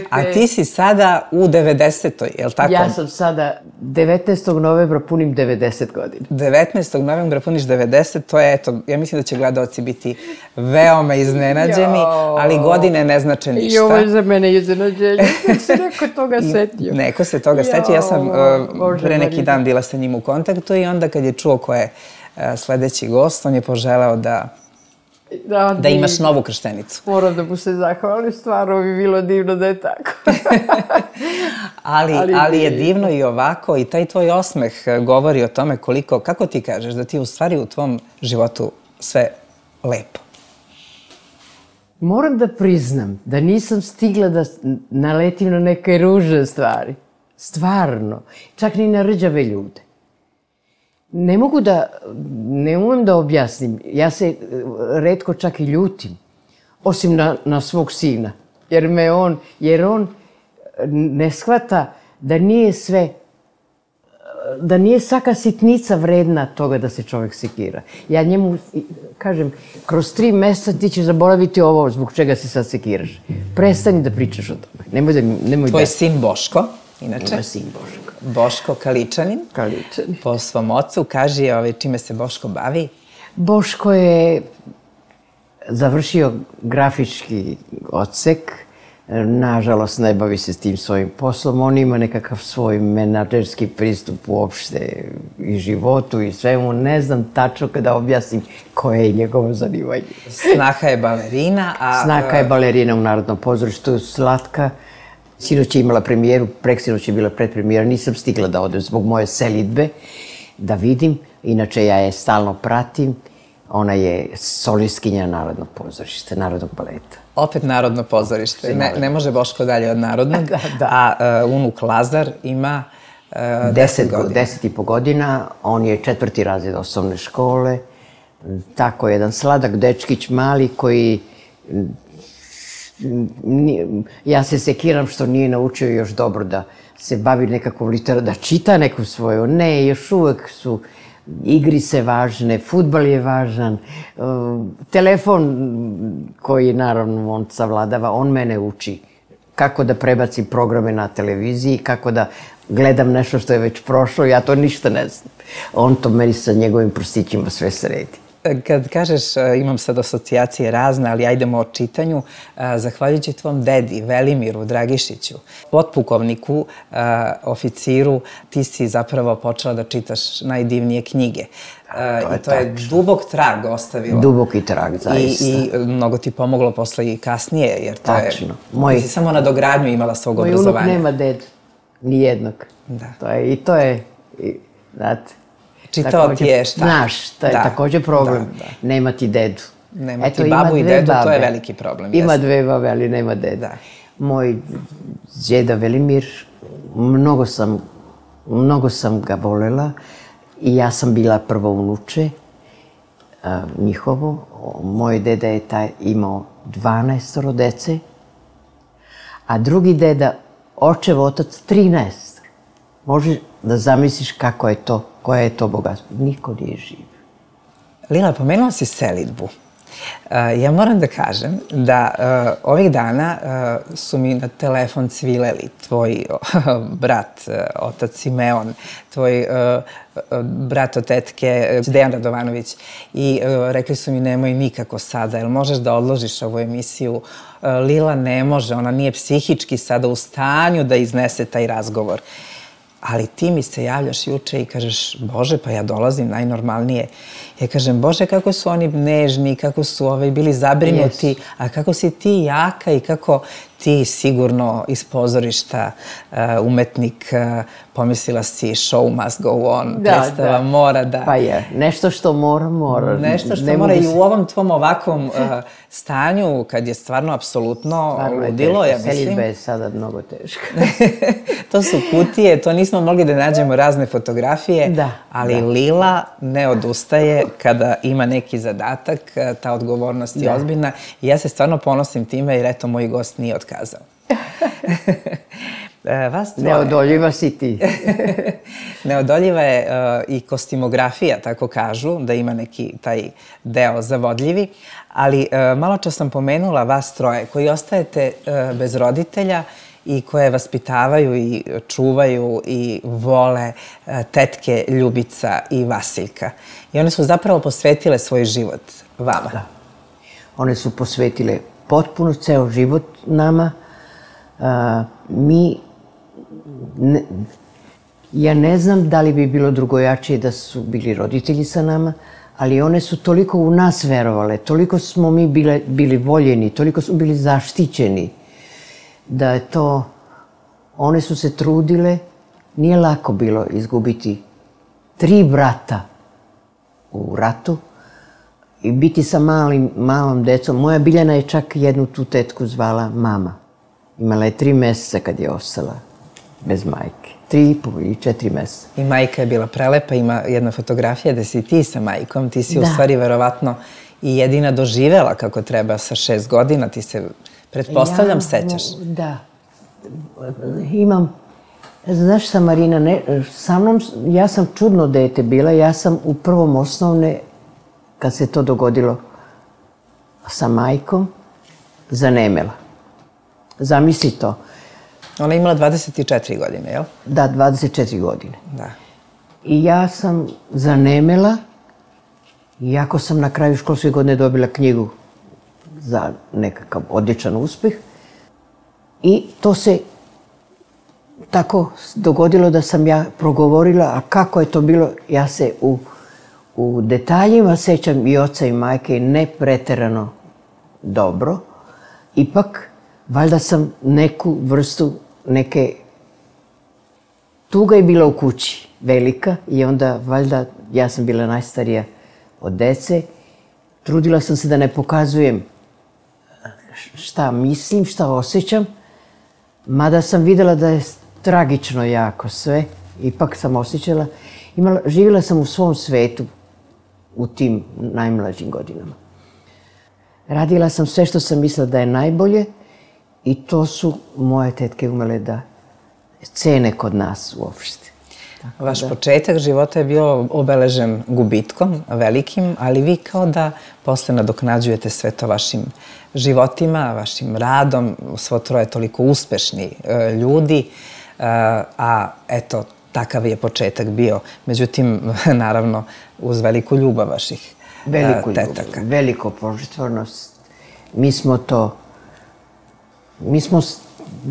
a ti si sada u devedesetoj, jel tako? Ja sam sada devetnaestog novembra punim devedeset godina. devetnaestog novembra puniš devedeset, to je, eto, ja mislim da će gledaoci biti veoma iznenađeni, jo. Ali godine ne znače ništa. I ovo je za mene iznenađenje. Se neko toga setio. Neko se toga setio. Ja sam uh, pre neki dan bila sa njim u kontaktu i onda kad je čuo ko je uh, sledeći gost, on je poželeo da Da, da imaš novu krštenicu. Moram da mu se zahvalim, stvarno bi bilo divno da je tako. ali, ali, ali je divno i ovako i taj tvoj osmeh govori o tome koliko, kako ti kažeš, da ti je u stvari u tvom životu sve lepo. Moram da priznam da nisam stigla da naletim na neke ružne stvari. Stvarno. Čak ni na rđave ljude. Ne mogu da, ne umem da objasnim. Ja se retko čak i ljutim. Osim na, na svog sina. Jer me on, jer on ne shvata da nije sve, da nije svaka sitnica vredna toga da se čovjek sekira. Ja njemu kažem, kroz tri meseca ti ćeš zaboraviti ovo zbog čega se sad sekiraš. Prestani da pričaš o tome. Nemoj da, nemoj Tvoj da... sin Boško, inače. Moj sin Boško. Boško Kaličanin. Kaličanin. Po svom ocu, kaži ovaj, čime se Boško bavi. Boško je završio grafički odsek. Nažalost, ne bavi se s tim svojim poslom. On ima nekakav svoj menadžerski pristup uopšte i životu i svemu. Ne znam tačno kada objasnim koje je njegovo zanimanje. Snaha je balerina, a... Snaha je balerina u Narodnom pozorištu, slatka. Sinoć je imala premijeru, preksinoć je bila predpremijera. Nisam stigla da odem zbog moje selidbe, da vidim. Inače, ja je stalno pratim. Ona je solistkinja Narodnog pozorišta, Narodnog baleta. Opet Narodno pozorište. Ne, ne može Boško dalje od Narodnog. Da, da. A uh, unuk Lazar ima uh, deset godina. Deset i po godina. On je četvrti razred osnovne škole. Tako jedan sladak dečkić mali koji... Ja se sekiram što nije naučio još dobro da se bavi nekakvom literaturu, da čita neku svoju. Ne, još uvek su igrice važne, fudbal je važan, telefon koji naravno on savladava, on mene uči kako da prebacim programe na televiziji, kako da gledam nešto što je već prošlo, ja to ništa ne znam. On to meni sa njegovim prstićima sve sredi. Kad kažeš, imam sad asocijacije razne, ali ajdemo o čitanju, zahvaljujući tvom dedi, Velimiru Dragišiću, potpukovniku, oficiru, ti si zapravo počela da čitaš najdivnije knjige. I to je dubok trag ostavilo. Duboki trag, zaista. I mnogo ti pomoglo posle i kasnije, jer to je... Tačno. Ti si samo na dogradnju imala svog obrazovanja. Moj unuk nema dedu, nijednog. I to je, znate... Čitao ti je šta? Znaš, to je također problem. Nema ti dedu. Nema ti babu i dedu, to je veliki problem. Ima dve babe, ali nema deda. Moj djeda Velimir, mnogo sam, mnogo sam ga volela i ja sam bila prvo unuče njihovo. Moj deda je taj imao dvanaestoro dece, a drugi deda, očev otac, trinaest. Može da zamisliš kako je to, koja je to bogatstvo. Niko nije živ. Lila, pomenula si selidbu. Ja moram da kažem da ovih dana su mi na telefon cvileli tvoj brat, otac Simeon, tvoj brat od tetke Dejan Radovanović i rekli su mi nemoj nikako sada, jel možeš da odložiš ovu emisiju? Lila ne može, ona nije psihički sada u stanju da iznese taj razgovor. Ali ti mi se javljaš juče i kažeš, Bože, pa ja dolazim najnormalnije. Ja kažem, Bože, kako su oni nežni, kako su bili zabrinuti, a kako si ti jaka i kako ti sigurno iz pozorišta umetnik, pomislila si show must go on, predstava mora da... Pa je, nešto što mora, mora. Nešto što mora i u ovom tvom ovakvom stanju, kad je stvarno apsolutno ludilo, ja mislim... Selidba je sada mnogo teška. To su kutije, to nismo mogli da nađemo razne fotografije, ali Lila ne odustaje kada ima neki zadatak, ta odgovornost je ozbiljna i ja se stvarno ponosim time jer eto, moj gost nije otkazao. Neodoljiva si ti. Neodoljiva je i kostimografija, tako kažu, da ima neki taj deo zavodljivi, ali malo čas sam pomenula vas troje koji ostajete bez roditelja i koje vaspitavaju i čuvaju i vole tetke Ljubica i Vasiljka. I one su zapravo posvetile svoj život vama. Da. One su posvetile potpuno ceo život nama. Mi, ja ne znam da li bi bilo drugojačije da su bili roditelji sa nama, ali one su toliko u nas verovale, toliko smo mi bile, bili voljeni, toliko smo bili zaštićeni, da je to, one su se trudile, nije lako bilo izgubiti tri brata u ratu i biti sa malim, malom decom. Moja Biljana je čak jednu tu tetku zvala mama. Imala je tri meseca kad je ostala bez majke. Tri i po i četiri meseca. I majka je bila prelepa, ima jedna fotografija da si ti sa majkom, ti si u stvari verovatno i jedina doživela kako treba sa šest godina, ti se, pretpostavljam, sećaš. Da. Imam, znaš sa Marina, ne, sa mnom, ja sam čudno dete bila, ja sam u prvom osnovne, kad se to dogodilo sa majkom, zanemela. Zamisli to. Ona je imala dvadeset četiri godine, jel? Da, dvadeset četiri godine. Da. I ja sam zanemela, iako sam na kraju školske godine dobila knjigu za nekakav odličan uspeh. I to se tako dogodilo da sam ja progovorila, a kako je to bilo, ja se u, u detaljima sećam i oca i majke ne preterano dobro. Ipak, valjda sam neku vrstu, neke... Tuga je bila u kući, velika, i onda, valjda, ja sam bila najstarija od dece. Trudila sam se da ne pokazujem šta mislim, šta osjećam, mada sam videla da je tragično jako sve, ipak sam osjećala. Imala, živjela sam u svom svetu u tim najmlađim godinama. Radila sam sve što sam mislila da je najbolje i to su moje tetke umele da cene kod nas uopšte. Vaš početak života je bio obeležen gubitkom, velikim, ali vi kao da posle nadoknađujete sve to vašim životima, vašim radom, svo troje toliko uspešni ljudi, a eto, takav je početak bio. Međutim, naravno, uz veliku ljubav vaših Veliku tetaka. Ljubav, veliko požrtvovnost. Mi smo to, mi smo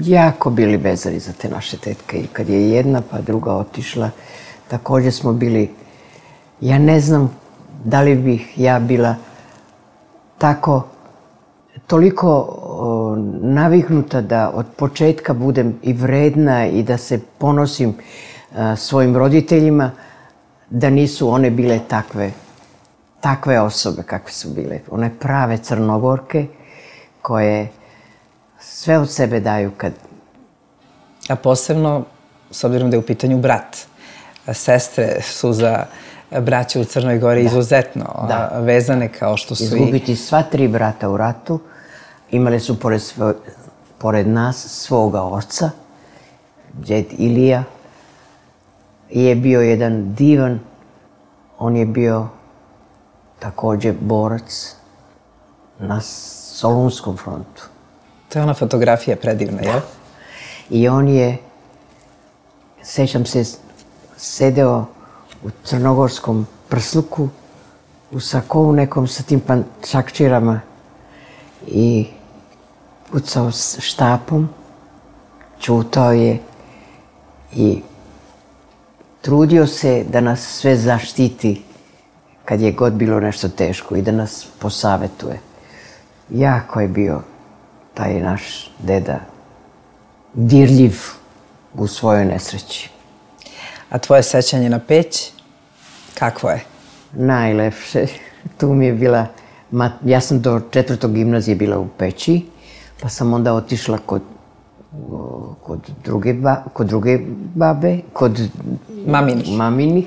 jako bili vezani za te naše tetke i kad je jedna pa druga otišla, također smo bili, ja ne znam da li bih ja bila tako, toliko o, naviknuta da od početka budem i vredna i da se ponosim a, svojim roditeljima, da nisu one bile takve, takve osobe kakve su bile. One prave Crnogorke koje sve od sebe daju kad... A posebno, s obzirom da je u pitanju brat, sestre su za braće u Crnoj Gori izuzetno vezane kao što su i... Izgubiti sva tri brata u ratu, imali su pored, svo, pored nas svoga oca, džed Ilija, je bio jedan divan, on je bio također borac na Solunskom frontu. To je ona fotografija predivna, jel? I on je, sećam se, sedeo u crnogorskom prsluku, u sakovu nekom sa tim čakčirama i pucao s štapom, čutao je i trudio se da nas sve zaštiti kad je god bilo nešto teško i da nas posavetuje. Jako je bio taj naš deda dirljiv u svojoj nesreći. A tvoje sećanje na Peć, kakvo je? Najlepše. Tu mi je bila, ja sam do četvrtog gimnazije bila u Peći, pa sam onda otišla kod, kod, druge, ba, kod druge babe, kod maminih. maminih,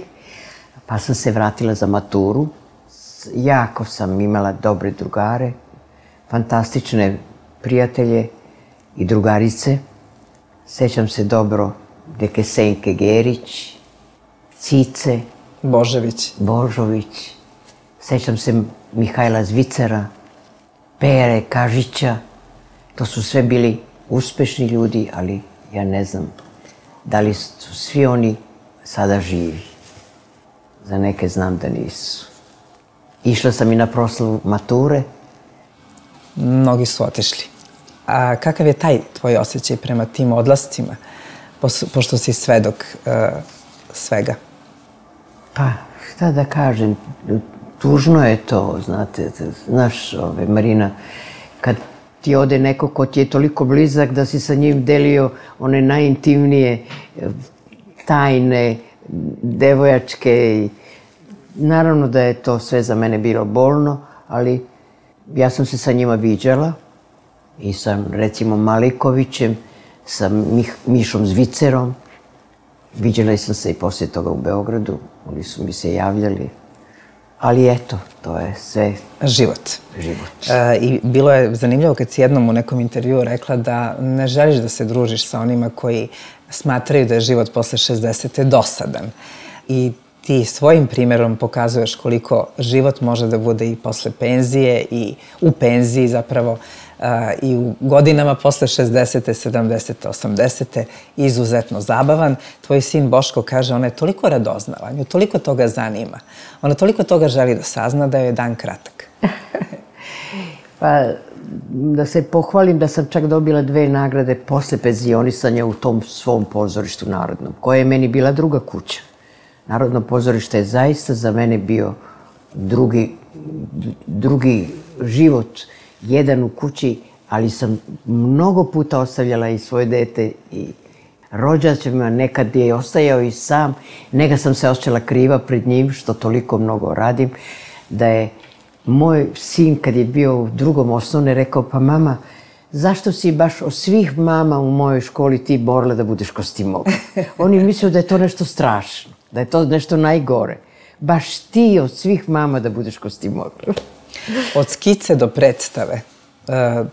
pa sam se vratila za maturu. Jako sam imala dobre drugare, fantastične prijatelje i drugarice. Sećam se dobro neke Senke Gerić, Cice, Božović. Božović. Sećam se Mihajla Zvicera, Pere Kažića. To su sve bili uspešni ljudi, ali ja ne znam da li su svi oni sada živi. Za neke znam da nisu. Išla sam i na proslavu mature. Mnogi su otišli. A kakav je taj tvoj osjećaj prema tim odlascima, pošto si svedok uh, svega? Pa, šta da kažem, tužno je to, znate, znaš, ove, Marina, kad ti ode neko ko ti je toliko blizak da si sa njim delio one najintimnije tajne, devojačke i naravno da je to sve za mene bilo bolno, ali ja sam se sa njima viđala i sa, recimo, Malikovićem, sa Mih, Mišom Zvicerom. Viđala sam se i poslije toga u Beogradu, oni su mi se javljali. Ali eto, to je sve... Život. Život. E, I bilo je zanimljivo kad si jednom u nekom intervjuu rekla da ne želiš da se družiš sa onima koji smatraju da je život posle šezdesete dosadan. I ti svojim primjerom pokazuješ koliko život može da bude i posle penzije i u penziji zapravo uh, i u godinama posle šezdesete, sedamdesete, osamdesete izuzetno zabavan. Tvoj sin Boško kaže, ona je toliko radoznala, nju toliko toga zanima. Ona toliko toga želi da sazna da joj je dan kratak. Pa, da se pohvalim da sam čak dobila dve nagrade posle penzionisanja u tom svom pozorištu narodnom, koja je meni bila druga kuća. Narodno pozorište je zaista za mene bio drugi, drugi život, jedan u kući, ali sam mnogo puta ostavljala i svoje dete i rođacima, nekad je ostajao i sam, neka sam se osjećala kriva pred njim, što toliko mnogo radim, da je moj sin, kad je bio u drugom osnovne, rekao, pa mama, zašto si baš od svih mama u mojoj školi ti borila da budeš kostimograf? Oni misle da je to nešto strašno, da je to nešto najgore. Baš ti od svih mama da budeš kostimograf. Od skice do predstave,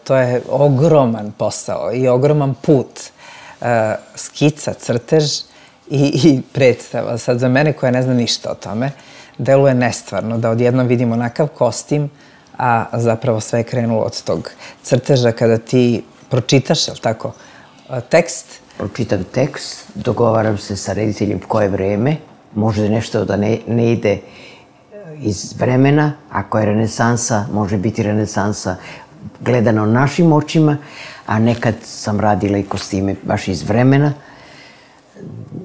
to je ogroman posao i ogroman put. Skica, crtež i, i predstava. Sad za mene koja ne zna ništa o tome, deluje nestvarno da odjednom vidimo onakav kostim, a zapravo sve je krenulo od tog crteža kada ti pročitaš, je li tako, tekst? Pročitam tekst, dogovaram se sa rediteljem koje vreme, može nešto da ne, ne ide iz vremena, ako je renesansa, može biti renesansa gledano našim očima, a nekad sam radila i kostime baš iz vremena.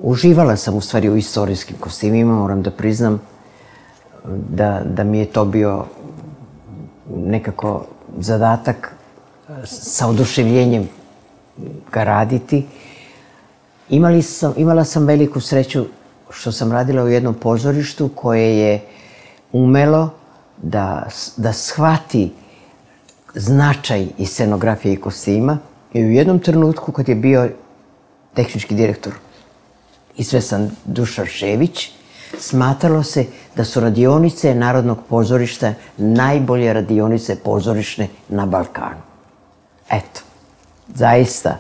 Uživala sam u stvari u istorijskim kostimima, moram da priznam da, da mi je to bio nekako zadatak sa oduševljenjem ga raditi. Imali sam, imala sam veliku sreću što sam radila u jednom pozorištu koje je umelo da, da shvati značaj i scenografije i kostima. I u jednom trenutku kad je bio tehnički direktor izvestan Dušan Šević, smatralo se da su radionice Narodnog pozorišta najbolje radionice pozorišne na Balkanu. Eto, zaista,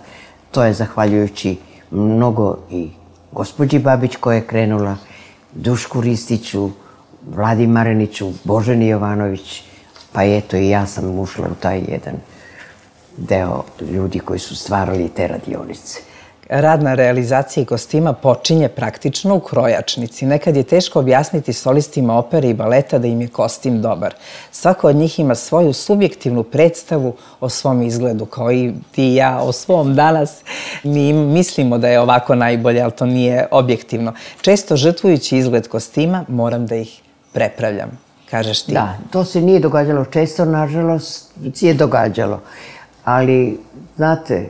to je zahvaljujući mnogo i gospođi Babić koja je krenula, Dušku Ristiću, Vladi Mareniću, Boženi Jovanović, pa eto i ja sam ušla u taj jedan deo ljudi koji su stvarali te radionice. Rad na realizaciji kostima počinje praktično u krojačnici. Nekad je teško objasniti solistima opere i baleta da im je kostim dobar. Svako od njih ima svoju subjektivnu predstavu o svom izgledu, kao i ti i ja o svom danas. Mi mislimo da je ovako najbolje, ali to nije objektivno. Često žrtvujući izgled kostima, moram da ih prepravljam, kažeš ti. Da, to se nije događalo često, nažalost, je događalo. Ali, znate,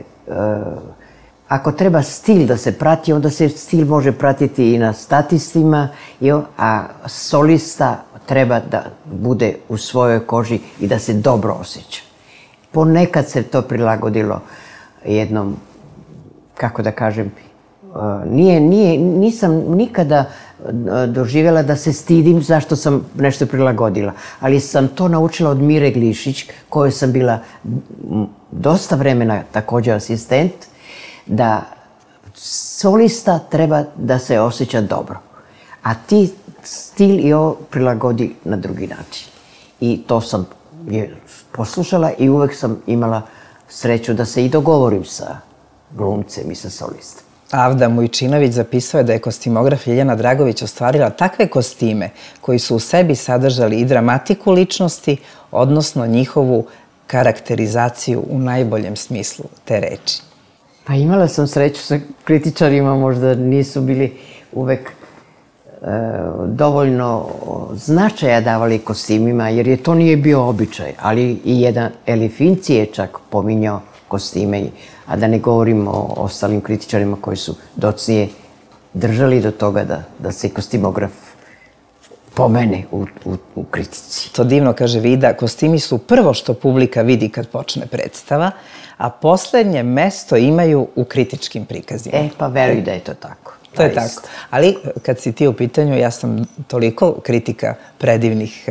ako treba stil da se prati, onda se stil može pratiti i na statistima, a solista treba da bude u svojoj koži i da se dobro osjeća. Ponekad se to prilagodilo jednom, kako da kažem, nije, nije, nisam nikada doživjela da se stidim zašto sam nešto prilagodila, ali sam to naučila od Mire Glišić, kojoj sam bila dosta vremena također asistent, da solista treba da se osjeća dobro, a ti stil i ovo prilagodi na drugi način. I to sam poslušala i uvek sam imala sreću da se i dogovorim sa glumcem i sa solistom. Avda Mujčinović zapisao je da je kostimograf Ljiljana Dragović ostvarila takve kostime koji su u sebi sadržali i dramatiku ličnosti, odnosno njihovu karakterizaciju u najboljem smislu te reči. Pa imala sam sreću sa kritičarima, možda nisu bili uvek dovoljno značaja davali kostimima, jer je to nije bio običaj, ali i jedan Elifinci je čak pominjao kostime, a da ne govorimo o ostalim kritičarima koji su docnije držali do toga da, da se kostimograf pomene u, u, u kritici. To divno kaže Vida, kostimi su prvo što publika vidi kad počne predstava, a poslednje mesto imaju u kritičkim prikazima. E, pa veruj da je to tako. To je tako. Ali kad si ti u pitanju, ja sam toliko kritika predivnih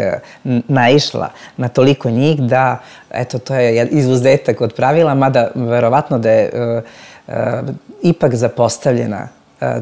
naišla na toliko njih da, eto, to je izuzetak od pravila, mada verovatno da je ipak zapostavljena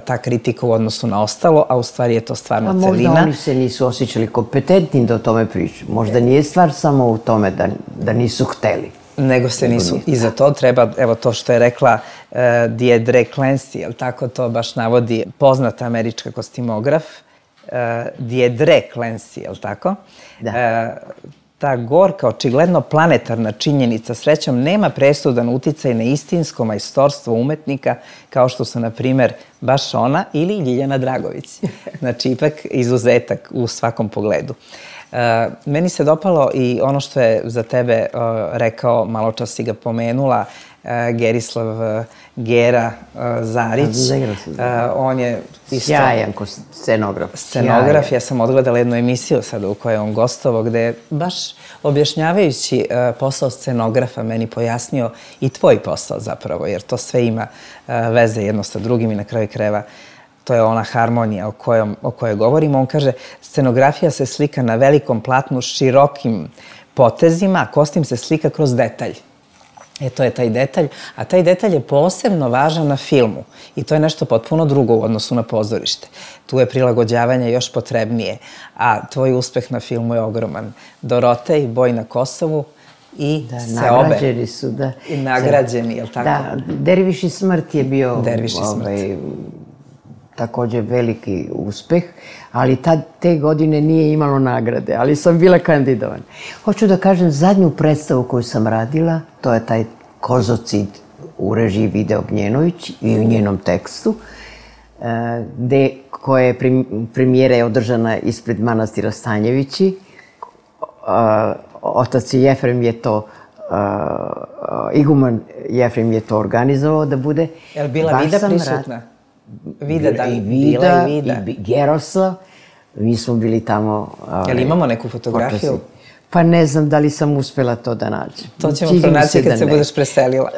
ta kritika u odnosu na ostalo, a u stvari je to stvarno celina. Možda oni se nisu osjećali kompetentni da o tome pričaju. Možda nije stvar samo u tome da, da nisu hteli. Nego se nisu. I za to treba, evo to što je rekla uh, Deirdre Clancy, jel tako to baš navodi poznata američka kostimograf, uh, Deirdre Clancy, jel tako? Da. Uh, ta gorka, očigledno planetarna činjenica srećom nema presudan uticaj na istinsko majstorstvo umetnika kao što su, na primer, baš ona ili Ljiljana Dragović. Znači, ipak izuzetak u svakom pogledu. Uh, meni se dopalo i ono što je za tebe uh, rekao, malo čas si ga pomenula, uh, Gerislav uh, Gera uh, Zarić. Uh, on je isto... Sjajan scenograf. Scenograf. Sjajan. Ja sam odgledala jednu emisiju sada u kojoj je on gostovao, gde je baš objašnjavajući uh, posao scenografa meni pojasnio i tvoj posao zapravo, jer to sve ima uh, veze jedno sa drugim i na kraju krajeva to je ona harmonija o, kojom, o kojoj govorimo. On kaže, scenografija se slika na velikom platnu s širokim potezima, a kostim se slika kroz detalj. E, to je taj detalj, a taj detalj je posebno važan na filmu i to je nešto potpuno drugo u odnosu na pozorište. Tu je prilagođavanje još potrebnije, a tvoj uspeh na filmu je ogroman. Dorotej, Boj na Kosovu i da, Seobe. Nagrađeni su, da. I nagrađeni, je li tako? Da, Derviš i smrt je bio... Derviš i smrt. Ovaj, također veliki uspeh, ali tad, te godine nije imalo nagrade, ali sam bila kandidovan. Hoću da kažem, zadnju predstavu koju sam radila, to je taj Kozocid u režiji Vide Ognjenović i u njenom tekstu, gde, koja je premijera je održana ispred manastira Stanjevići. Otac Jefrem je to, iguman Jefrem je to organizovao da bude. Je li bila Vida prisutna? Vida, da, i Vida, i Vida. I Geroslav. Mi smo bili tamo... Jel imamo neku fotografiju? Pa ne znam da li sam uspela to da nađem. To ćemo pronaći kad se budeš preselila.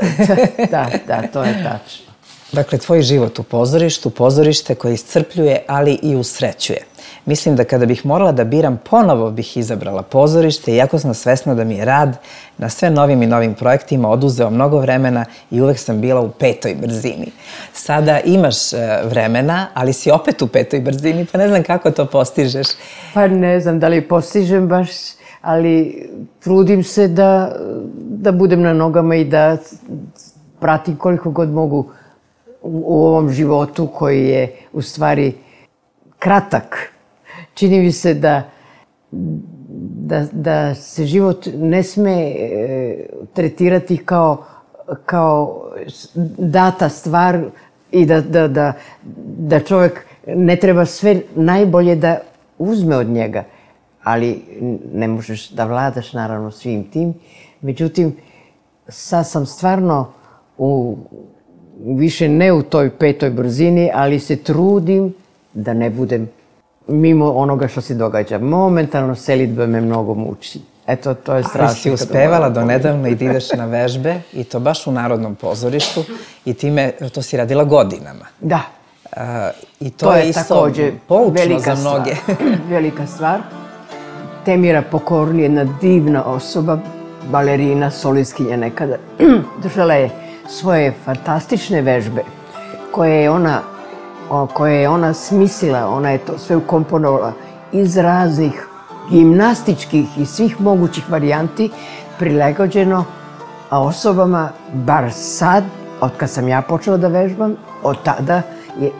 Da, da, to je tačno. Dakle, tvoj život u pozorištu, pozorište koje iscrpljuje, ali i usrećuje. Mislim da kada bih morala da biram, ponovo bih izabrala pozorište, iako sam svesna da mi je rad na sve novim i novim projektima oduzeo mnogo vremena i uvek sam bila u petoj brzini. Sada imaš vremena, ali si opet u petoj brzini, pa ne znam kako to postižeš. Pa ne znam da li postižem baš, ali trudim se da, da budem na nogama i da pratim koliko god mogu u ovom životu koji je u stvari kratak. Čini mi se da, da, da se život ne sme e, tretirati kao, kao data stvar i da, da, da, da čovjek ne treba sve najbolje da uzme od njega. Ali ne možeš da vladaš naravno svim tim. Međutim, sad sam stvarno u, više ne u toj petoj brzini, ali se trudim da ne budem mimo onoga što se događa. Momentalno selidba me mnogo muči. Eto, to je strašno. Ali si uspevala do nedavno i da ideš na vežbe, i to baš u Narodnom pozorištu, i time, to si radila godinama. Da. Uh, I to, to je, je isto poučno za mnoge. Velika stvar. Temira Pokorni je jedna divna osoba, balerina, solistkinja nekada. Držala je svoje fantastične vežbe koje je ona koje je ona smislila, ona je to sve ukomponovala iz raznih gimnastičkih i svih mogućih varijanti, prilagođeno osobama, bar sad, od kad sam ja počela da vežbam, od tada,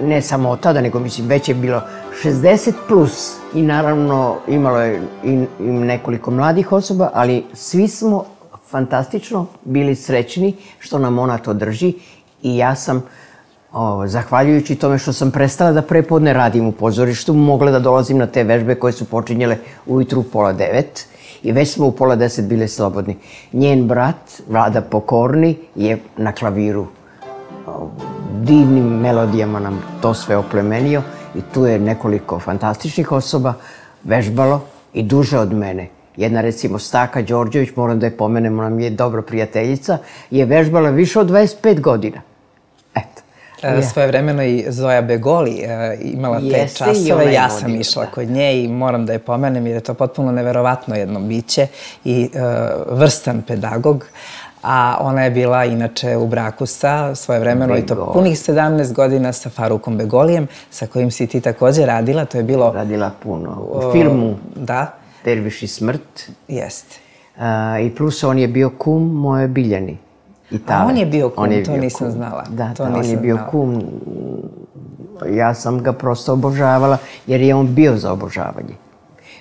ne samo od tada, nego mislim već je bilo šezdeset plus i naravno imalo je i nekoliko mladih osoba, ali svi smo fantastično bili srećni što nam ona to drži i ja sam O, zahvaljujući tome što sam prestala da prepodne radim u pozorištu, mogla da dolazim na te vežbe koje su počinjele ujutru u pola devet i već smo u pola deset bile slobodni. Njen brat, Vlada Pokorni, je na klaviru o, divnim melodijama nam to sve oplemenio i tu je nekoliko fantastičnih osoba vežbalo i duže od mene. Jedna, recimo, Staka Đorđević, moram da je pomenem, ona mi je dobra prijateljica, je vežbala više od dvadeset pet godina. Eto. E, svojevremeno i Zoja Begoli e, imala te Jeste, časove, ja sam vodila, išla da. kod nje i moram da je pomenem jer je to potpuno neverovatno jedno biće i e, vrstan pedagog. A ona je bila inače u braku sa svojevremeno i to punih sedamnaest godina sa Farukom Begolijem, sa kojim si ti takođe radila. To je bilo... Radila puno. U filmu Da. Derviš i smrt. Jeste. A, I plus on je bio kum moje Biljani. A on je bio kum, je to bio nisam kum. znala. Da, to da nisam on je bio znala. kum. Ja sam ga prosto obožavala jer je on bio za obožavanje.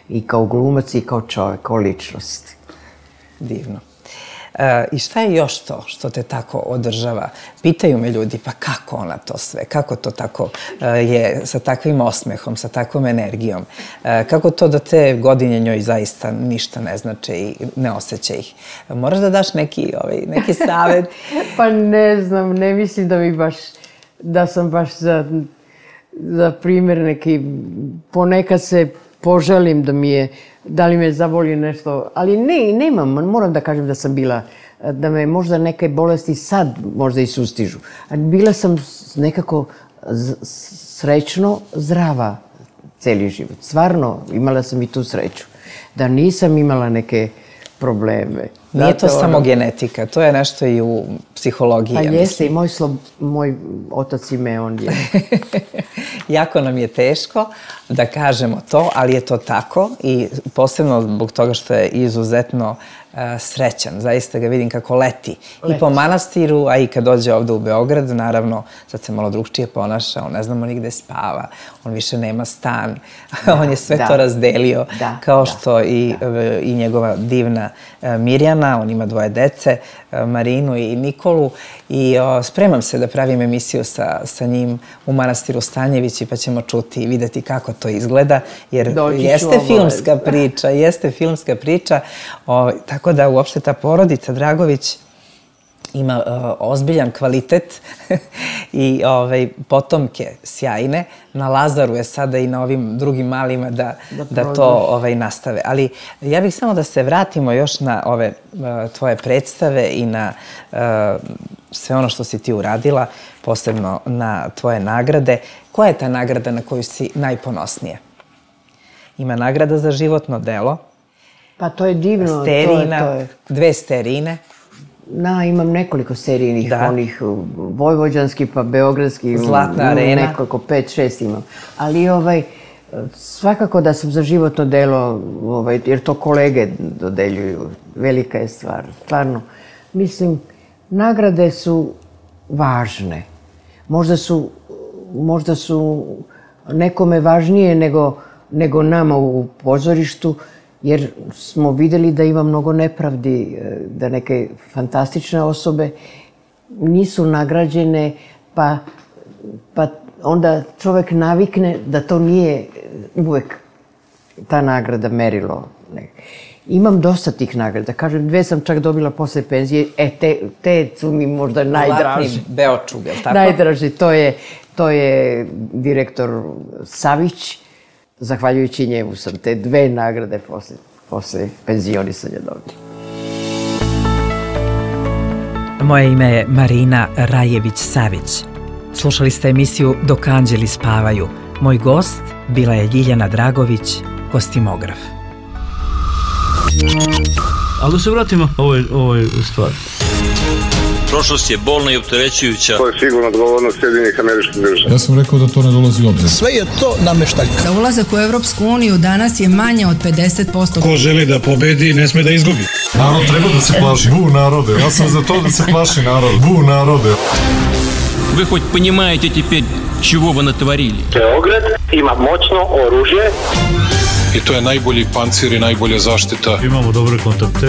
I kao glumac i kao čovjek, kao ličnost. Divno. E, I šta je još to što te tako održava? Pitaju me ljudi, pa kako ona to sve? Kako to tako e, je sa takvim osmehom, sa takvom energijom? E, kako to da te godine njoj zaista ništa ne znače i ne osjeća ih? Moraš da daš neki, ovaj, neki savjet? Pa ne znam, ne mislim da mi baš, da sam baš za, za primjer neki, ponekad se poželim da mi je, da li me zavoli nešto, ali ne, nemam, moram da kažem da sam bila, da me možda neke bolesti sad možda i sustižu. Bila sam nekako srećno zdrava cijeli život. Stvarno, imala sam i tu sreću. Da nisam imala neke probleme. Nije to samo genetika, to je nešto i u psihologiji. Pa jeste, i moj, slob, moj otac i me, on je. Jako nam je teško da kažemo to, ali je to tako i posebno zbog toga što je izuzetno uh, srećan. Zaista ga vidim kako leti. leti. I po manastiru, a i kad dođe ovde u Beograd, naravno, sad se malo drugčije ponaša, on ne znamo ni gde spava, on više nema stan, da, on je sve da. to razdelio, da, kao što da, i, da. i njegova divna uh, Mirjana, on ima dvoje dece, uh, Marinu i Nikolu, i uh, spremam se da pravim emisiju sa, sa njim u manastiru Stanjevići, pa ćemo čuti i videti kako to izgleda, jer Doći jeste filmska priča, jeste filmska priča, o, tako da uopšte ta porodica Dragović ima uh, ozbiljan kvalitet i ovaj, potomke sjajne. Na Lazaru je sada i na ovim drugim malima da, da, da to ovaj, nastave. Ali ja bih samo da se vratimo još na ove uh, tvoje predstave i na uh, sve ono što si ti uradila, posebno na tvoje nagrade. Koja je ta nagrada na koju si najponosnija? Ima nagrada za životno delo. Pa to je divno. Sterina, to je, to je. dve sterine. Na, imam nekoliko serijnih, da. onih vojvođanskih pa beogradskih. Zlatna arena. Nekoliko, pet, šest imam. Ali ovaj, svakako da sam za životno delo, ovaj, jer to kolege dodeljuju, velika je stvar. Stvarno, mislim, nagrade su važne. Možda su, možda su nekome važnije nego, nego nama u pozorištu, jer smo vidjeli da ima mnogo nepravdi, da neke fantastične osobe nisu nagrađene, pa, pa onda čovjek navikne da to nije uvek ta nagrada merilo. Imam dosta tih nagrada. Kažem, dve sam čak dobila posle penzije, e, te, te su mi možda najdraži. Zlatni Beočug, je li tako? Najdraži, to je, to je direktor Savić. Zahvaljujući njemu sam te dve nagrade posle, posle penzionisanja dobila. Moje ime je Marina Rajević-Savić. Slušali ste emisiju Dok anđeli spavaju. Moj gost bila je Ljiljana Dragović, kostimograf. Ali da se vratimo ovoj, ovoj stvari. Prošlost je bolna i opterećujuća. To je sigurno odgovornost Sjedinjenih Američkih Država. Ja sam rekao da to ne dolazi u obzir. Sve je to nameštaljka. Za ulazak u Evropsku uniju danas je manje od pedeset posto. Ko želi da pobedi, ne sme da izgubi. Narod treba da se plaši. Bu narode. Ja sam za to da se plaši narod. Bu narode. Вы хоть понимаете теперь, чего вы натворили? Beograd ima moćno oružje. I to je najbolji pancir i najbolja zaštita. Imamo dobre kontakte.